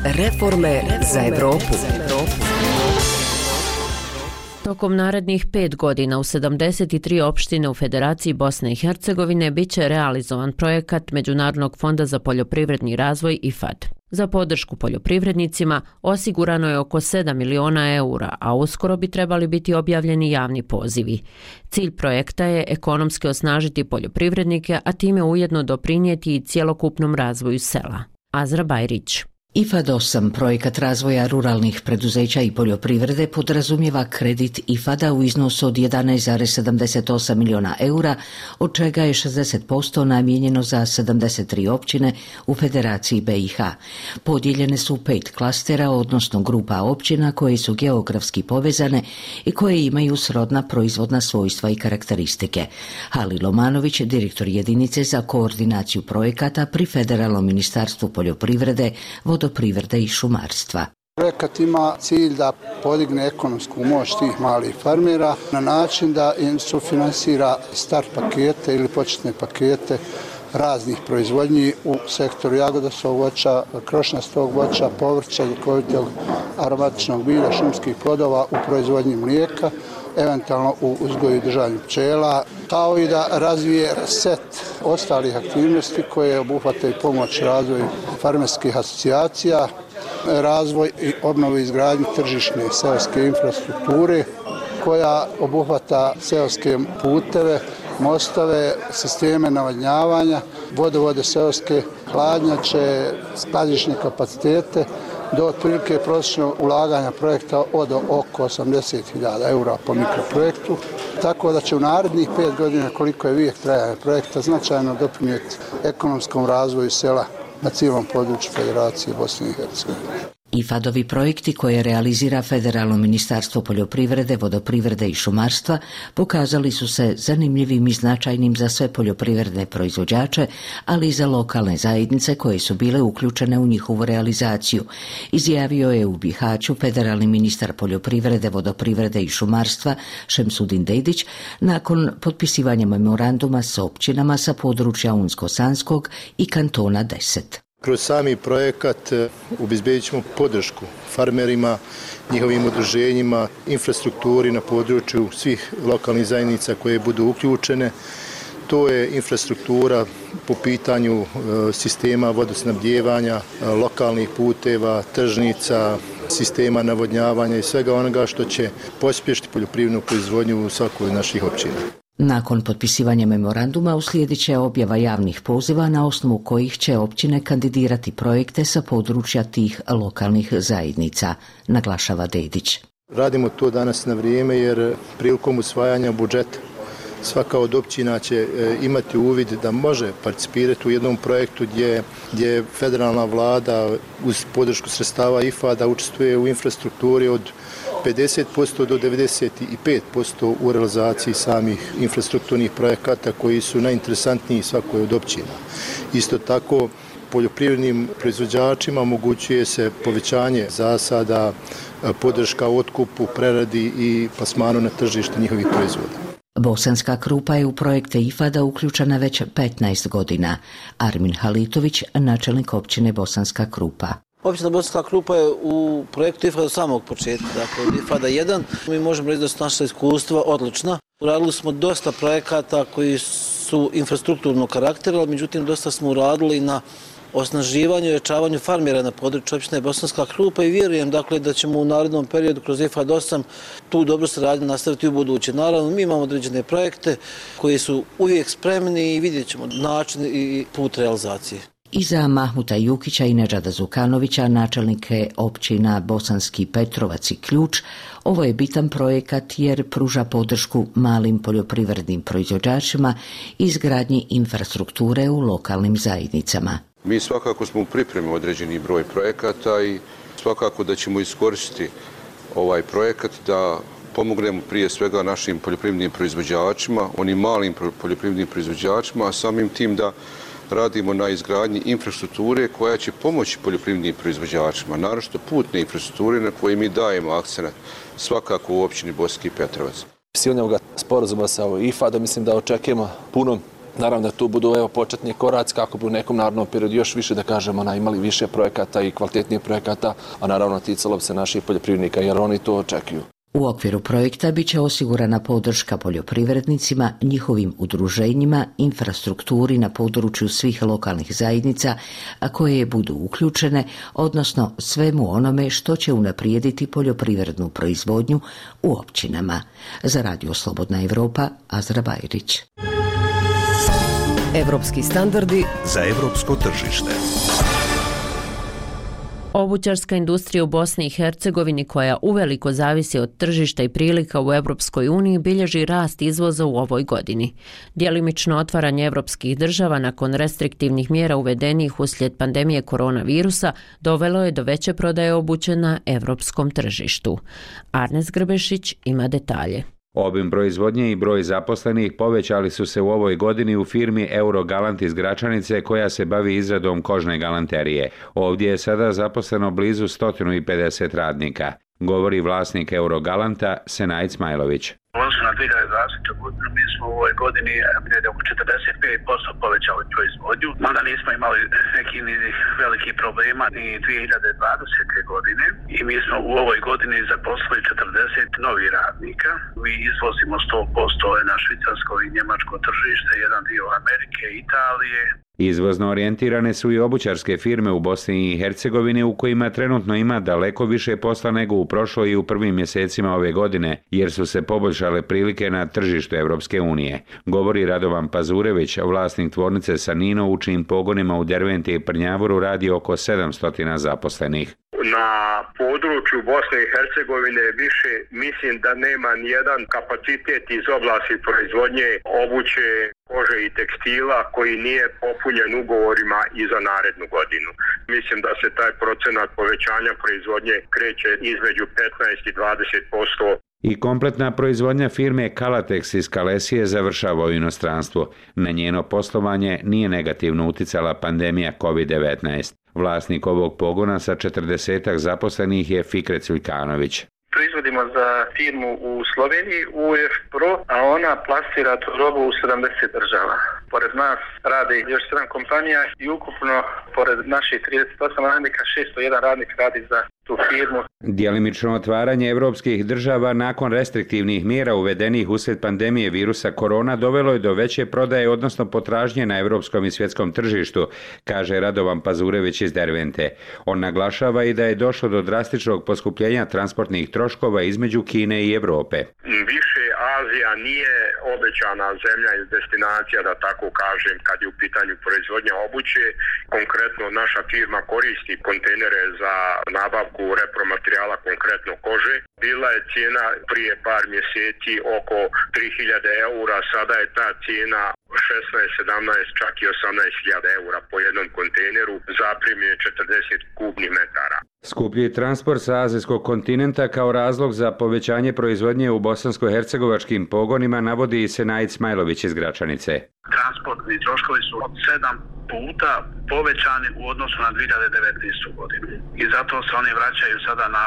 Reforme za Evropu. Tokom narednih 5 godina u 73 opštine u Federaciji Bosne i Hercegovine bit će realizovan projekat Međunarodnog fonda za poljoprivredni razvoj IFAD. Za podršku poljoprivrednicima osigurano je oko 7 miliona eura, a uskoro bi trebali biti objavljeni javni pozivi. Cilj projekta je ekonomski osnažiti poljoprivrednike, a time ujedno doprinijeti i cjelokupnom razvoju sela. Azra Bajrić. IFAD 8, projekat razvoja ruralnih preduzeća i poljoprivrede, podrazumijeva kredit IFAD-a u iznosu od 11,78 miliona eura, od čega je 60% namijenjeno za 73 općine u Federaciji BiH. Podijeljene su 5 klastera, odnosno grupa općina koje su geografski povezane i koje imaju srodna proizvodna svojstva i karakteristike. Halil Omanović, direktor jedinice za koordinaciju projekata pri Federalnom ministarstvu poljoprivrede, vodoprivrede i šumarstva. Projekat ima cilj da podigne ekonomsku moć tih malih farmera na način da im sufinansira start pakete ili početne pakete raznih proizvodnji u sektoru jagodasnog voća, krošnjastog voća, povrća, ljekovitog aromatičnog bilja, šumskih plodova u proizvodnji mlijeka, eventualno u uzgoju i držanju pčela, kao i da razvije set ostalih aktivnosti koje obuhvataju pomoć razvoju farmerskih asocijacija, razvoj i obnovu izgradnju tržišne seoske infrastrukture koja obuhvata seoske puteve, mostove, sisteme navodnjavanja, vodovode seoske, hladnjače, skladišne kapacitete, do otprilike prosječnog ulaganja projekta od oko 80.000 eura po mikroprojektu, tako da će u narednih 5 godina, koliko je vijek trajanja projekta, značajno doprinijeti ekonomskom razvoju sela na cijelom području Federacije Bosne i Hercegovine. IFAD-ovi projekti koje realizira Federalno ministarstvo poljoprivrede, vodoprivrede i šumarstva pokazali su se zanimljivim i značajnim za sve poljoprivredne proizvođače, ali i za lokalne zajednice koje su bile uključene u njihovu realizaciju, izjavio je u Bihaću federalni ministar poljoprivrede, vodoprivrede i šumarstva Šemsudin Dedić nakon potpisivanja memoranduma s općinama sa područja Unsko-Sanskog i kantona 10. Kroz sami projekat obezbedit ćemo podršku farmerima, njihovim udruženjima, infrastrukturi na području svih lokalnih zajednica koje budu uključene. To je infrastruktura po pitanju sistema vodosnabdijevanja, lokalnih puteva, tržnica, sistema navodnjavanja i svega onoga što će pospješiti poljoprivrednu proizvodnju u svakoj od naših općina. Nakon potpisivanja memoranduma uslijedit će objava javnih poziva na osnovu kojih će općine kandidirati projekte sa područja tih lokalnih zajednica, naglašava Dedić. Radimo to danas na vrijeme jer prilikom usvajanja budžeta svaka od općina će imati uvid da može participirati u jednom projektu gdje federalna vlada uz podršku sredstava IFAD-a učestvuje u infrastrukturi od 50% do 95% u realizaciji samih infrastrukturnih projekata koji su najinteresantniji svakoj od općina. Isto tako, poljoprivrednim proizvođačima omogućuje se povećanje zasada, podrška otkupu, preradi i plasmanu na tržište njihovih proizvoda. Bosanska Krupa je u projekte IFAD-a uključena već 15 godina. Armin Halitović, načelnik općine Bosanska Krupa. Općina Bosanska Krupa je u projektu IFAD od samog početka, dakle od IFAD 1. Mi možemo reći da su naša iskustva odlična. Uradili smo dosta projekata koji su infrastrukturnog karaktera, ali međutim dosta smo uradili na osnaživanju i ojačavanju farmera na području općine Bosanska Krupa i vjerujem dakle da ćemo u narednom periodu kroz IFAD 8 tu dobru saradnju nastaviti u buduće. Naravno, mi imamo određene projekte koji su uvijek spremni i vidjet ćemo način i put realizacije. Iza Mahmuta Jukića i Nedžada Zukanovića, načelnike općina Bosanski Petrovac i Ključ, ovo je bitan projekat jer pruža podršku malim poljoprivrednim proizvođačima i izgradnji infrastrukture u lokalnim zajednicama. Mi svakako smo u pripremi određeni broj projekata i svakako da ćemo iskoristiti ovaj projekat da pomognemo prije svega našim poljoprivrednim proizvođačima, onim malim poljoprivrednim proizvođačima, a samim tim da radimo na izgradnji infrastrukture koja će pomoći poljoprivrednim proizvođačima, naročito putne infrastrukture na koje mi dajemo akcenat svakako u općini Bosanski Petrovac. Silnog sporazuma sa IFAD-om mislim da očekujemo puno. Naravno da tu budu početni koraci kako bi u nekom narednom periodu još više da kažemo imali više projekata i kvalitetnijih projekata, a naravno ticalo bi se naših poljoprivrednika jer oni to očekuju. U okviru projekta bit će osigurana podrška poljoprivrednicima, njihovim udruženjima, infrastrukturi na području svih lokalnih zajednica, a koje budu uključene, odnosno svemu onome što će unaprijediti poljoprivrednu proizvodnju u općinama. Za Radio Slobodna Evropa, Azra Bajrić. Evropski standardi za evropsko tržište. Obućarska industrija u Bosni i Hercegovini, koja uveliko zavisi od tržišta i prilika u Europskoj uniji, bilježi rast izvoza u ovoj godini. Djelimično otvaranje evropskih država nakon restriktivnih mjera uvedenih uslijed pandemije koronavirusa dovelo je do veće prodaje obuće na evropskom tržištu. Arnes Grbešić ima detalje. Obim proizvodnje i broj zaposlenih povećali su se u ovoj godini u firmi Eurogalant iz Gračanice koja se bavi izradom kožne galanterije. Ovdje je sada zaposleno blizu 150 radnika, govori vlasnik Eurogalanta Senaj Smajlović. U odnosu na 2020. godinu mi smo u ovoj godini oko 45% povećali proizvodnju, mada nismo imali neki ni veliki problema ni 2020. godine i mi smo u ovoj godini zaposlili 40 novih radnika. Mi izvozimo 100% na švicarsko i njemačko tržište, jedan dio Amerike, Italije. Izvozno orijentirane su i obućarske firme u Bosni i Hercegovini u kojima trenutno ima daleko više posla nego u prošloj i u prvim mjesecima ove godine, jer su se poboljšale prilike na tržištu Evropske unije. Govori Radovan Pazurević, vlasnik tvornice Sanino, u čijim pogonima u Derventi i Prnjavoru radi oko 700 zaposlenih. Na području Bosne i Hercegovine više mislim da nema nijedan kapacitet iz oblasti proizvodnje obuće, kože i tekstila koji nije popunjen ugovorima i za narednu godinu. Mislim da se taj procenat povećanja proizvodnje kreće između 15 i 20%. I kompletna proizvodnja firme Kalatex iz Kalesije završava u inostranstvu. Na njeno poslovanje nije negativno uticala pandemija COVID-19. Vlasnik ovog pogona sa 40 zaposlenih je Fikret Culjkanović. Proizvodimo za firmu u Sloveniji, UF Pro, a ona plasira tu robu u 70 država. Pored nas radi još 7 kompanija i ukupno, pored naših 38 radnika, 601 radnik radi za tu firmu. Djelimično otvaranje evropskih država nakon restriktivnih mjera uvedenih uslijed pandemije virusa korona dovelo je do veće prodaje, odnosno potražnje na evropskom i svjetskom tržištu, kaže Radovan Pazurević iz Dervente. On naglašava i da je došlo do drastičnog poskupljenja transportnih troškova između Kine i Europe. Više, ali Azija nije obećana zemlja ili destinacija, da tako kažem, kad je u pitanju proizvodnja obuće. Konkretno naša firma koristi kontejnere za nabavku repromaterijala, konkretno kože. Bila je cijena prije par mjeseci oko 3000 eura, sada je ta cijena 16, 17, čak i 18.000 eura po jednom kontejneru, zaprimljen 40 kubnih metara. Skuplji transport sa azijskog kontinenta kao razlog za povećanje proizvodnje u bosansko-hercegovačkim pogonima navodi Senaid Smajlović iz Gračanice. Transportni troškovi su od 7 puta povećani u odnosu na 2019. godinu. I zato se oni vraćaju sada na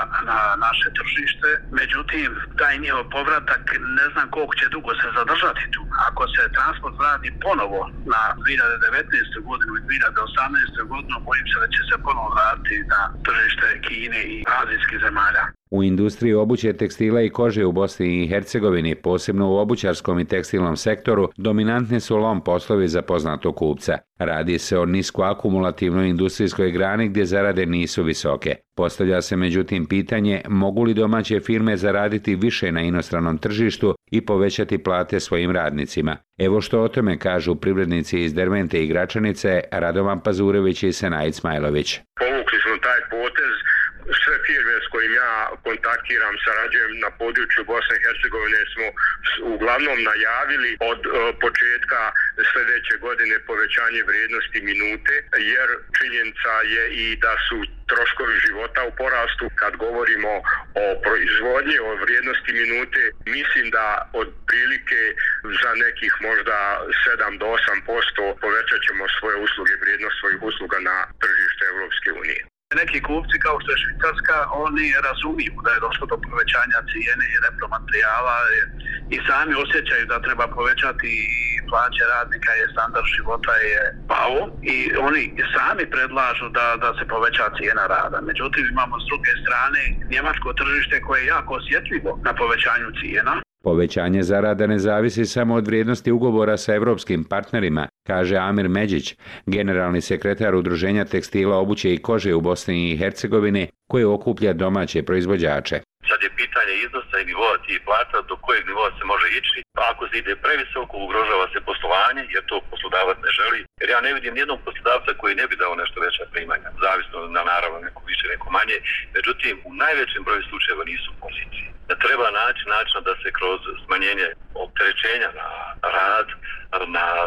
naše tržište. Međutim, taj njihov povratak ne znam koliko će dugo se zadržati tu. Ako se transport vrati ponovo na 2019. godinu i 2018. godinu, bojim se da će se ponovo vratiti na tržište Kine i azijskih zemalja. U industriji obuće, tekstila i kože u Bosni i Hercegovini, posebno u obućarskom i tekstilnom sektoru, dominantni su lom poslovi za poznatog kupca. Radi se o niskoakumulativnoj industrijskoj grani gdje zarade nisu visoke. Postavlja se međutim pitanje mogu li domaće firme zaraditi više na inostranom tržištu i povećati plate svojim radnicima. Evo što o tome kažu privrednici iz Dervente i Gračanice, Radovan Pazurević i Senaid Smajlović. Povukli smo taj potez. Sve firme s kojim ja kontaktiram, sarađujem na području Bosne i Hercegovine smo uglavnom najavili od početka sljedeće godine povećanje vrijednosti minute, jer činjenica je i da su troškovi života u porastu. Kad govorimo o proizvodnji, o vrijednosti minute, mislim da od prilike za nekih možda 7 do 8% povećat ćemo svoje usluge, vrijednost svojih usluga na tržište Europske unije. Neki kupci kao što je Švicarska, oni razumiju da je došlo do povećanja cijene i repromaterijala i sami osjećaju da treba povećati plaće radnika, je standard života je pao i oni sami predlažu da se poveća cijena rada. Međutim, imamo s druge strane njemačko tržište koje je jako osjetljivo na povećanju cijena. Povećanje zarada ne zavisi samo od vrijednosti ugovora sa evropskim partnerima, kaže Amir Međić, generalni sekretar Udruženja tekstila, obuće i kože u Bosni i Hercegovini, koje okuplja domaće proizvođače. Sad je pitanje iznosa i nivoa tih plata, do kojeg nivoa se može ići. Ako se ide previsoko, ugrožava se poslovanje, jer to poslodavac ne želi. Jer ja ne vidim nijednog poslodavca koji ne bi dao nešto veća primanja, zavisno na naravno neko više, neko manje. Međutim, u najvećem broju slučajeva nisu pozicije. Da treba naći načina da se kroz smanjenje opterećenja na rad,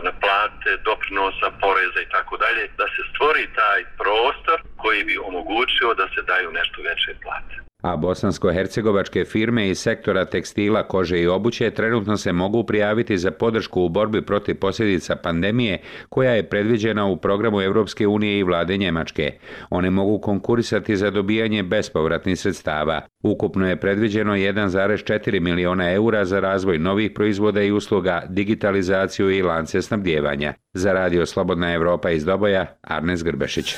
na plate, doprinosa, poreza i tako dalje, da se stvori taj prostor koji bi omogućio da se daju nešto veće plate. A bosansko-hercegovačke firme iz sektora tekstila, kože i obuće trenutno se mogu prijaviti za podršku u borbi protiv posljedica pandemije koja je predviđena u programu Europske unije i vlade Njemačke. One mogu konkurisati za dobijanje bespovratnih sredstava. Ukupno je predviđeno 1,4 miliona eura za razvoj novih proizvoda i usluga, digitalizaciju i lance snabdijevanja. Za Radio Slobodna Evropa iz Doboja, Arnes Grbešić.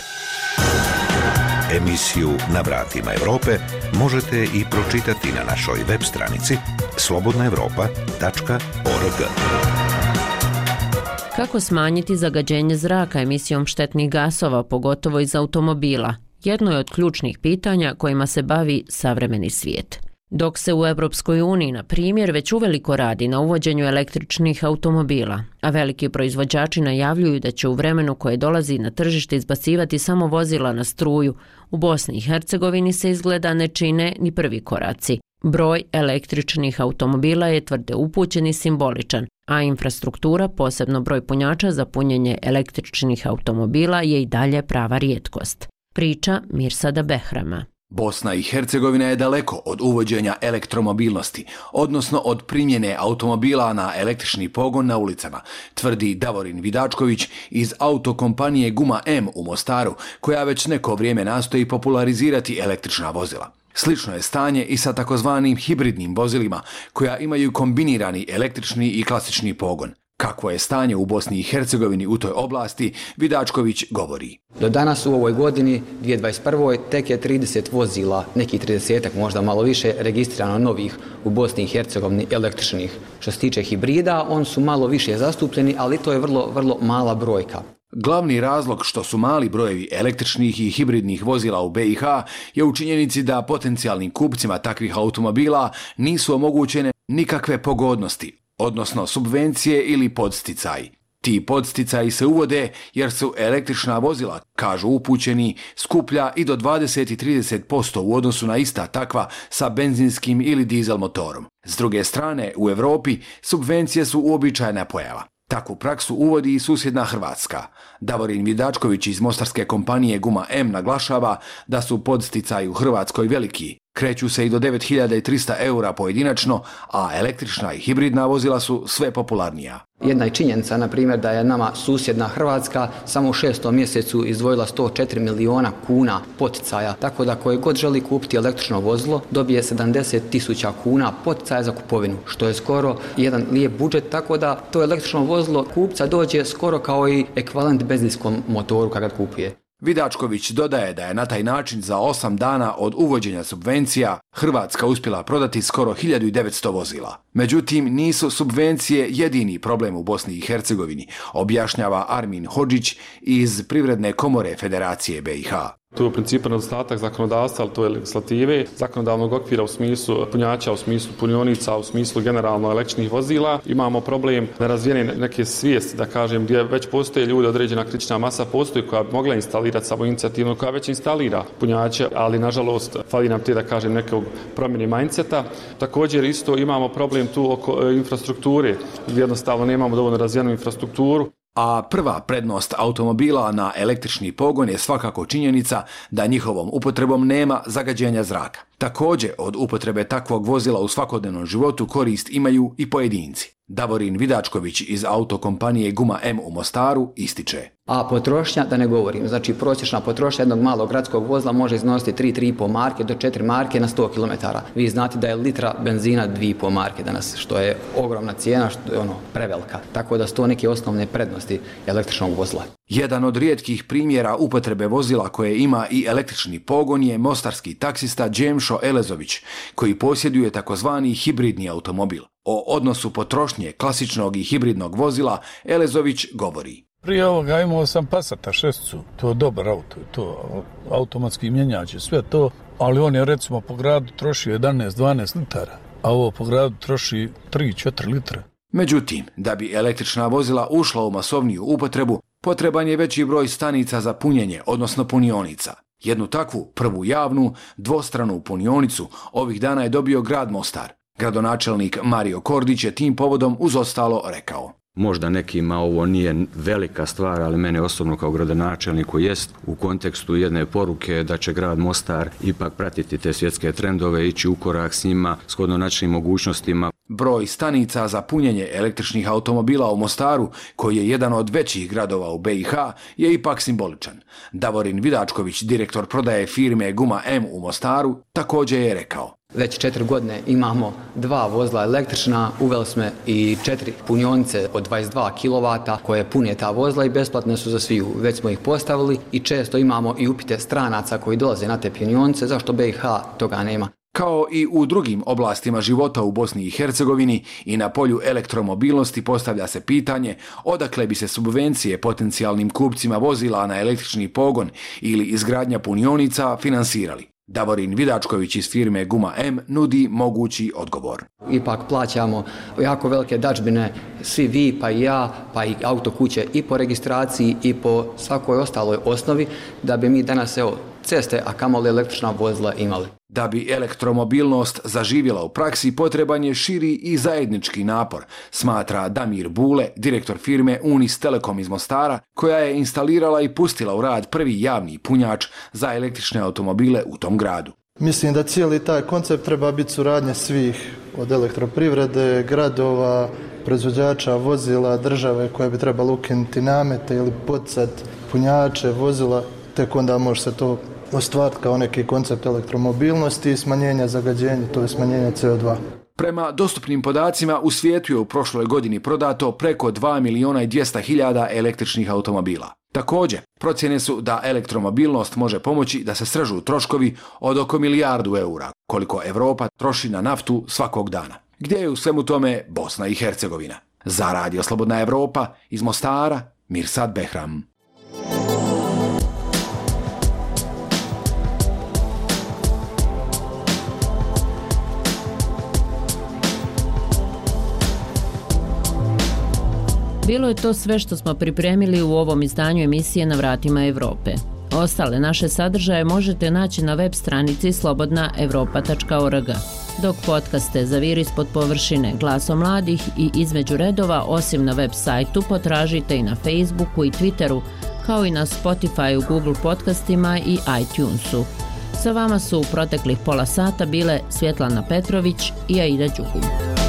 Emisiju Na vratima Europe možete i pročitati na našoj web stranici slobodnaevropa.org. Kako smanjiti zagađenje zraka emisijom štetnih gasova, pogotovo iz automobila? Jedno je od ključnih pitanja kojima se bavi savremeni svijet. Dok se u Europskoj uniji, na primjer, već uveliko radi na uvođenju električnih automobila, a veliki proizvođači najavljuju da će u vremenu koje dolazi na tržište izbacivati samo vozila na struju, u Bosni i Hercegovini se izgleda ne čine ni prvi koraci. Broj električnih automobila je, tvrde upućeni, simboličan, a infrastruktura, posebno broj punjača za punjenje električnih automobila, je i dalje prava rijetkost. Priča Mirsada Behrama. Bosna i Hercegovina je daleko od uvođenja elektromobilnosti, odnosno od primjene automobila na električni pogon na ulicama, tvrdi Davorin Vidačković iz autokompanije Guma M u Mostaru, koja već neko vrijeme nastoji popularizirati električna vozila. Slično je stanje i sa takozvanim hibridnim vozilima, koja imaju kombinirani električni i klasični pogon. Kakvo je stanje u Bosni i Hercegovini u toj oblasti, Vidačković govori. Do danas u ovoj godini, 2021. tek je 30 vozila, neki 30-ak, možda malo više, registrirano novih u Bosni i Hercegovini električnih. Što se tiče hibrida, on su malo više zastupljeni, ali to je vrlo mala brojka. Glavni razlog što su mali brojevi električnih i hibridnih vozila u BiH je u činjenici da potencijalnim kupcima takvih automobila nisu omogućene nikakve pogodnosti, odnosno subvencije ili podsticaji. Ti podsticaji se uvode jer su električna vozila, kažu upućeni, skuplja i do 20 i 30% u odnosu na ista takva sa benzinskim ili dizel motorom. S druge strane, u Europi subvencije su uobičajena pojava. Takvu praksu uvodi i susjedna Hrvatska. Davorin Vidačković iz mostarske kompanije Guma M naglašava da su podsticaji u Hrvatskoj veliki. Kreću se i do 9.300 eura pojedinačno, a električna i hibridna vozila su sve popularnija. Jedna je činjenica, na primjer, da je nama susjedna Hrvatska samo u 6. mjesecu izdvojila 104 miliona kuna poticaja, tako da koji god želi kupiti električno vozilo dobije 70.000 kuna poticaja za kupovinu, što je skoro jedan lijep budžet, tako da to električno vozilo kupca dođe skoro kao i ekvivalent benzinskom motoru kada ga kupuje. Vidačković dodaje da je na taj način za 8 dana od uvođenja subvencija Hrvatska uspjela prodati skoro 1900 vozila. Međutim, nisu subvencije jedini problem u Bosni i Hercegovini, objašnjava Armin Hodžić iz Privredne komore Federacije BiH. To je u principu nedostatak zakonodavstva, ali to je legislative, zakonodavnog okvira u smislu punjača, u smislu punionica, u smislu generalno električnih vozila. Imamo problem nerazvijene neke svijesti, da kažem, gdje već postoje ljudi, određena kritična masa postoji koja bi mogla instalirati samoinicijativno, koja već instalira punjače, ali nažalost fali nam te, da kažem, nekog promjene mindseta. Također isto imamo problem tu oko infrastrukture, gdje jednostavno nemamo dovoljno razvijenu infrastrukturu. A prva prednost automobila na električni pogon je svakako činjenica da njihovom upotrebom nema zagađenja zraka. Također, od upotrebe takvog vozila u svakodnevnom životu korist imaju i pojedinci. Davorin Vidačković iz autokompanije Guma M u Mostaru ističe. A potrošnja, da ne govorim, znači prosječna potrošnja jednog malog gradskog vozila može iznositi 3,5 marke do 4 marke na 100 km. Vi znate da je litra benzina 2,5 marke danas, što je ogromna cijena, što je prevelika. Tako da su to neke osnovne prednosti električnog vozila. Jedan od rijetkih primjera upotrebe vozila koje ima i električni pogon je mostarski taksista Džemšo Elezović, koji posjeduje takozvani hibridni automobil. O odnosu potrošnje klasičnog i hibridnog vozila Elezović govori. Prije ovoga imao sam Passata 6, to je dobar auto, to automatski mjenjač, sve to, ali on je recimo po gradu trošio 11-12 litara, a ovo po gradu troši 3-4 litra. Međutim, da bi električna vozila ušla u masovniju upotrebu, potreban je veći broj stanica za punjenje, odnosno punionica. Jednu takvu, prvu javnu, dvostranu punionicu, ovih dana je dobio grad Mostar. Gradonačelnik Mario Kordić je tim povodom uz ostalo rekao. Možda nekima ovo nije velika stvar, ali mene osobno kao gradonačelniku jest u kontekstu jedne poruke da će grad Mostar ipak pratiti te svjetske trendove, ići u korak s njima, shodno našim mogućnostima. Broj stanica za punjenje električnih automobila u Mostaru, koji je jedan od većih gradova u BiH, je ipak simboličan. Davorin Vidačković, direktor prodaje firme Guma M u Mostaru, također je rekao. Već 4 godine imamo 2 vozila električna, uveli smo i 4 punionice od 22 kW koje pune ta vozila i besplatne su za sviju. Već smo ih postavili i često imamo i upite stranaca koji dolaze na te punionice, zašto BiH toga nema. Kao i u drugim oblastima života u Bosni i Hercegovini i na polju elektromobilnosti postavlja se pitanje odakle bi se subvencije potencijalnim kupcima vozila na električni pogon ili izgradnja punionica finansirali. Davorin Vidačković iz firme Guma M nudi mogući odgovor. Ipak plaćamo jako velike dadžbine, svi vi, pa i ja, pa i autokuće i po registraciji i po svakoj ostaloj osnovi, da bi mi danas ceste, a kamoli električna vozila imali. Da bi elektromobilnost zaživjela u praksi, potreban je širi i zajednički napor, smatra Damir Bule, direktor firme Unis Telekom iz Mostara, koja je instalirala i pustila u rad prvi javni punjač za električne automobile u tom gradu. Mislim da cijeli taj koncept treba biti suradnja svih, od elektroprivrede, gradova, proizvođača vozila, države koje bi trebalo ukinuti namete ili poticati punjače vozila, tek onda može se to ostvariti kao neki koncept elektromobilnosti i smanjenja zagađenja, to je smanjenje CO2. Prema dostupnim podacima, u svijetu je u prošloj godini prodato preko 2.200.000 električnih automobila. Također, procjene su da elektromobilnost može pomoći da se srežu troškovi od oko 1 milijardu eura, koliko Europa troši na naftu svakog dana. Gdje je u svemu tome Bosna i Hercegovina? Za Radio Slobodna Evropa, iz Mostara, Mirsad Behram. Bilo je to sve što smo pripremili u ovom izdanju emisije Na vratima Evrope. Ostale naše sadržaje možete naći na web stranici slobodnaevropa.org. Dok podcaste Zaviri ispod površine, Glasom mladih i Između redova, osim na web sajtu, potražite i na Facebooku i Twitteru, kao i na Spotifyu, Google podcastima i iTunesu. Sa vama su u proteklih pola sata bile Svjetlana Petrović i Aida Đugum.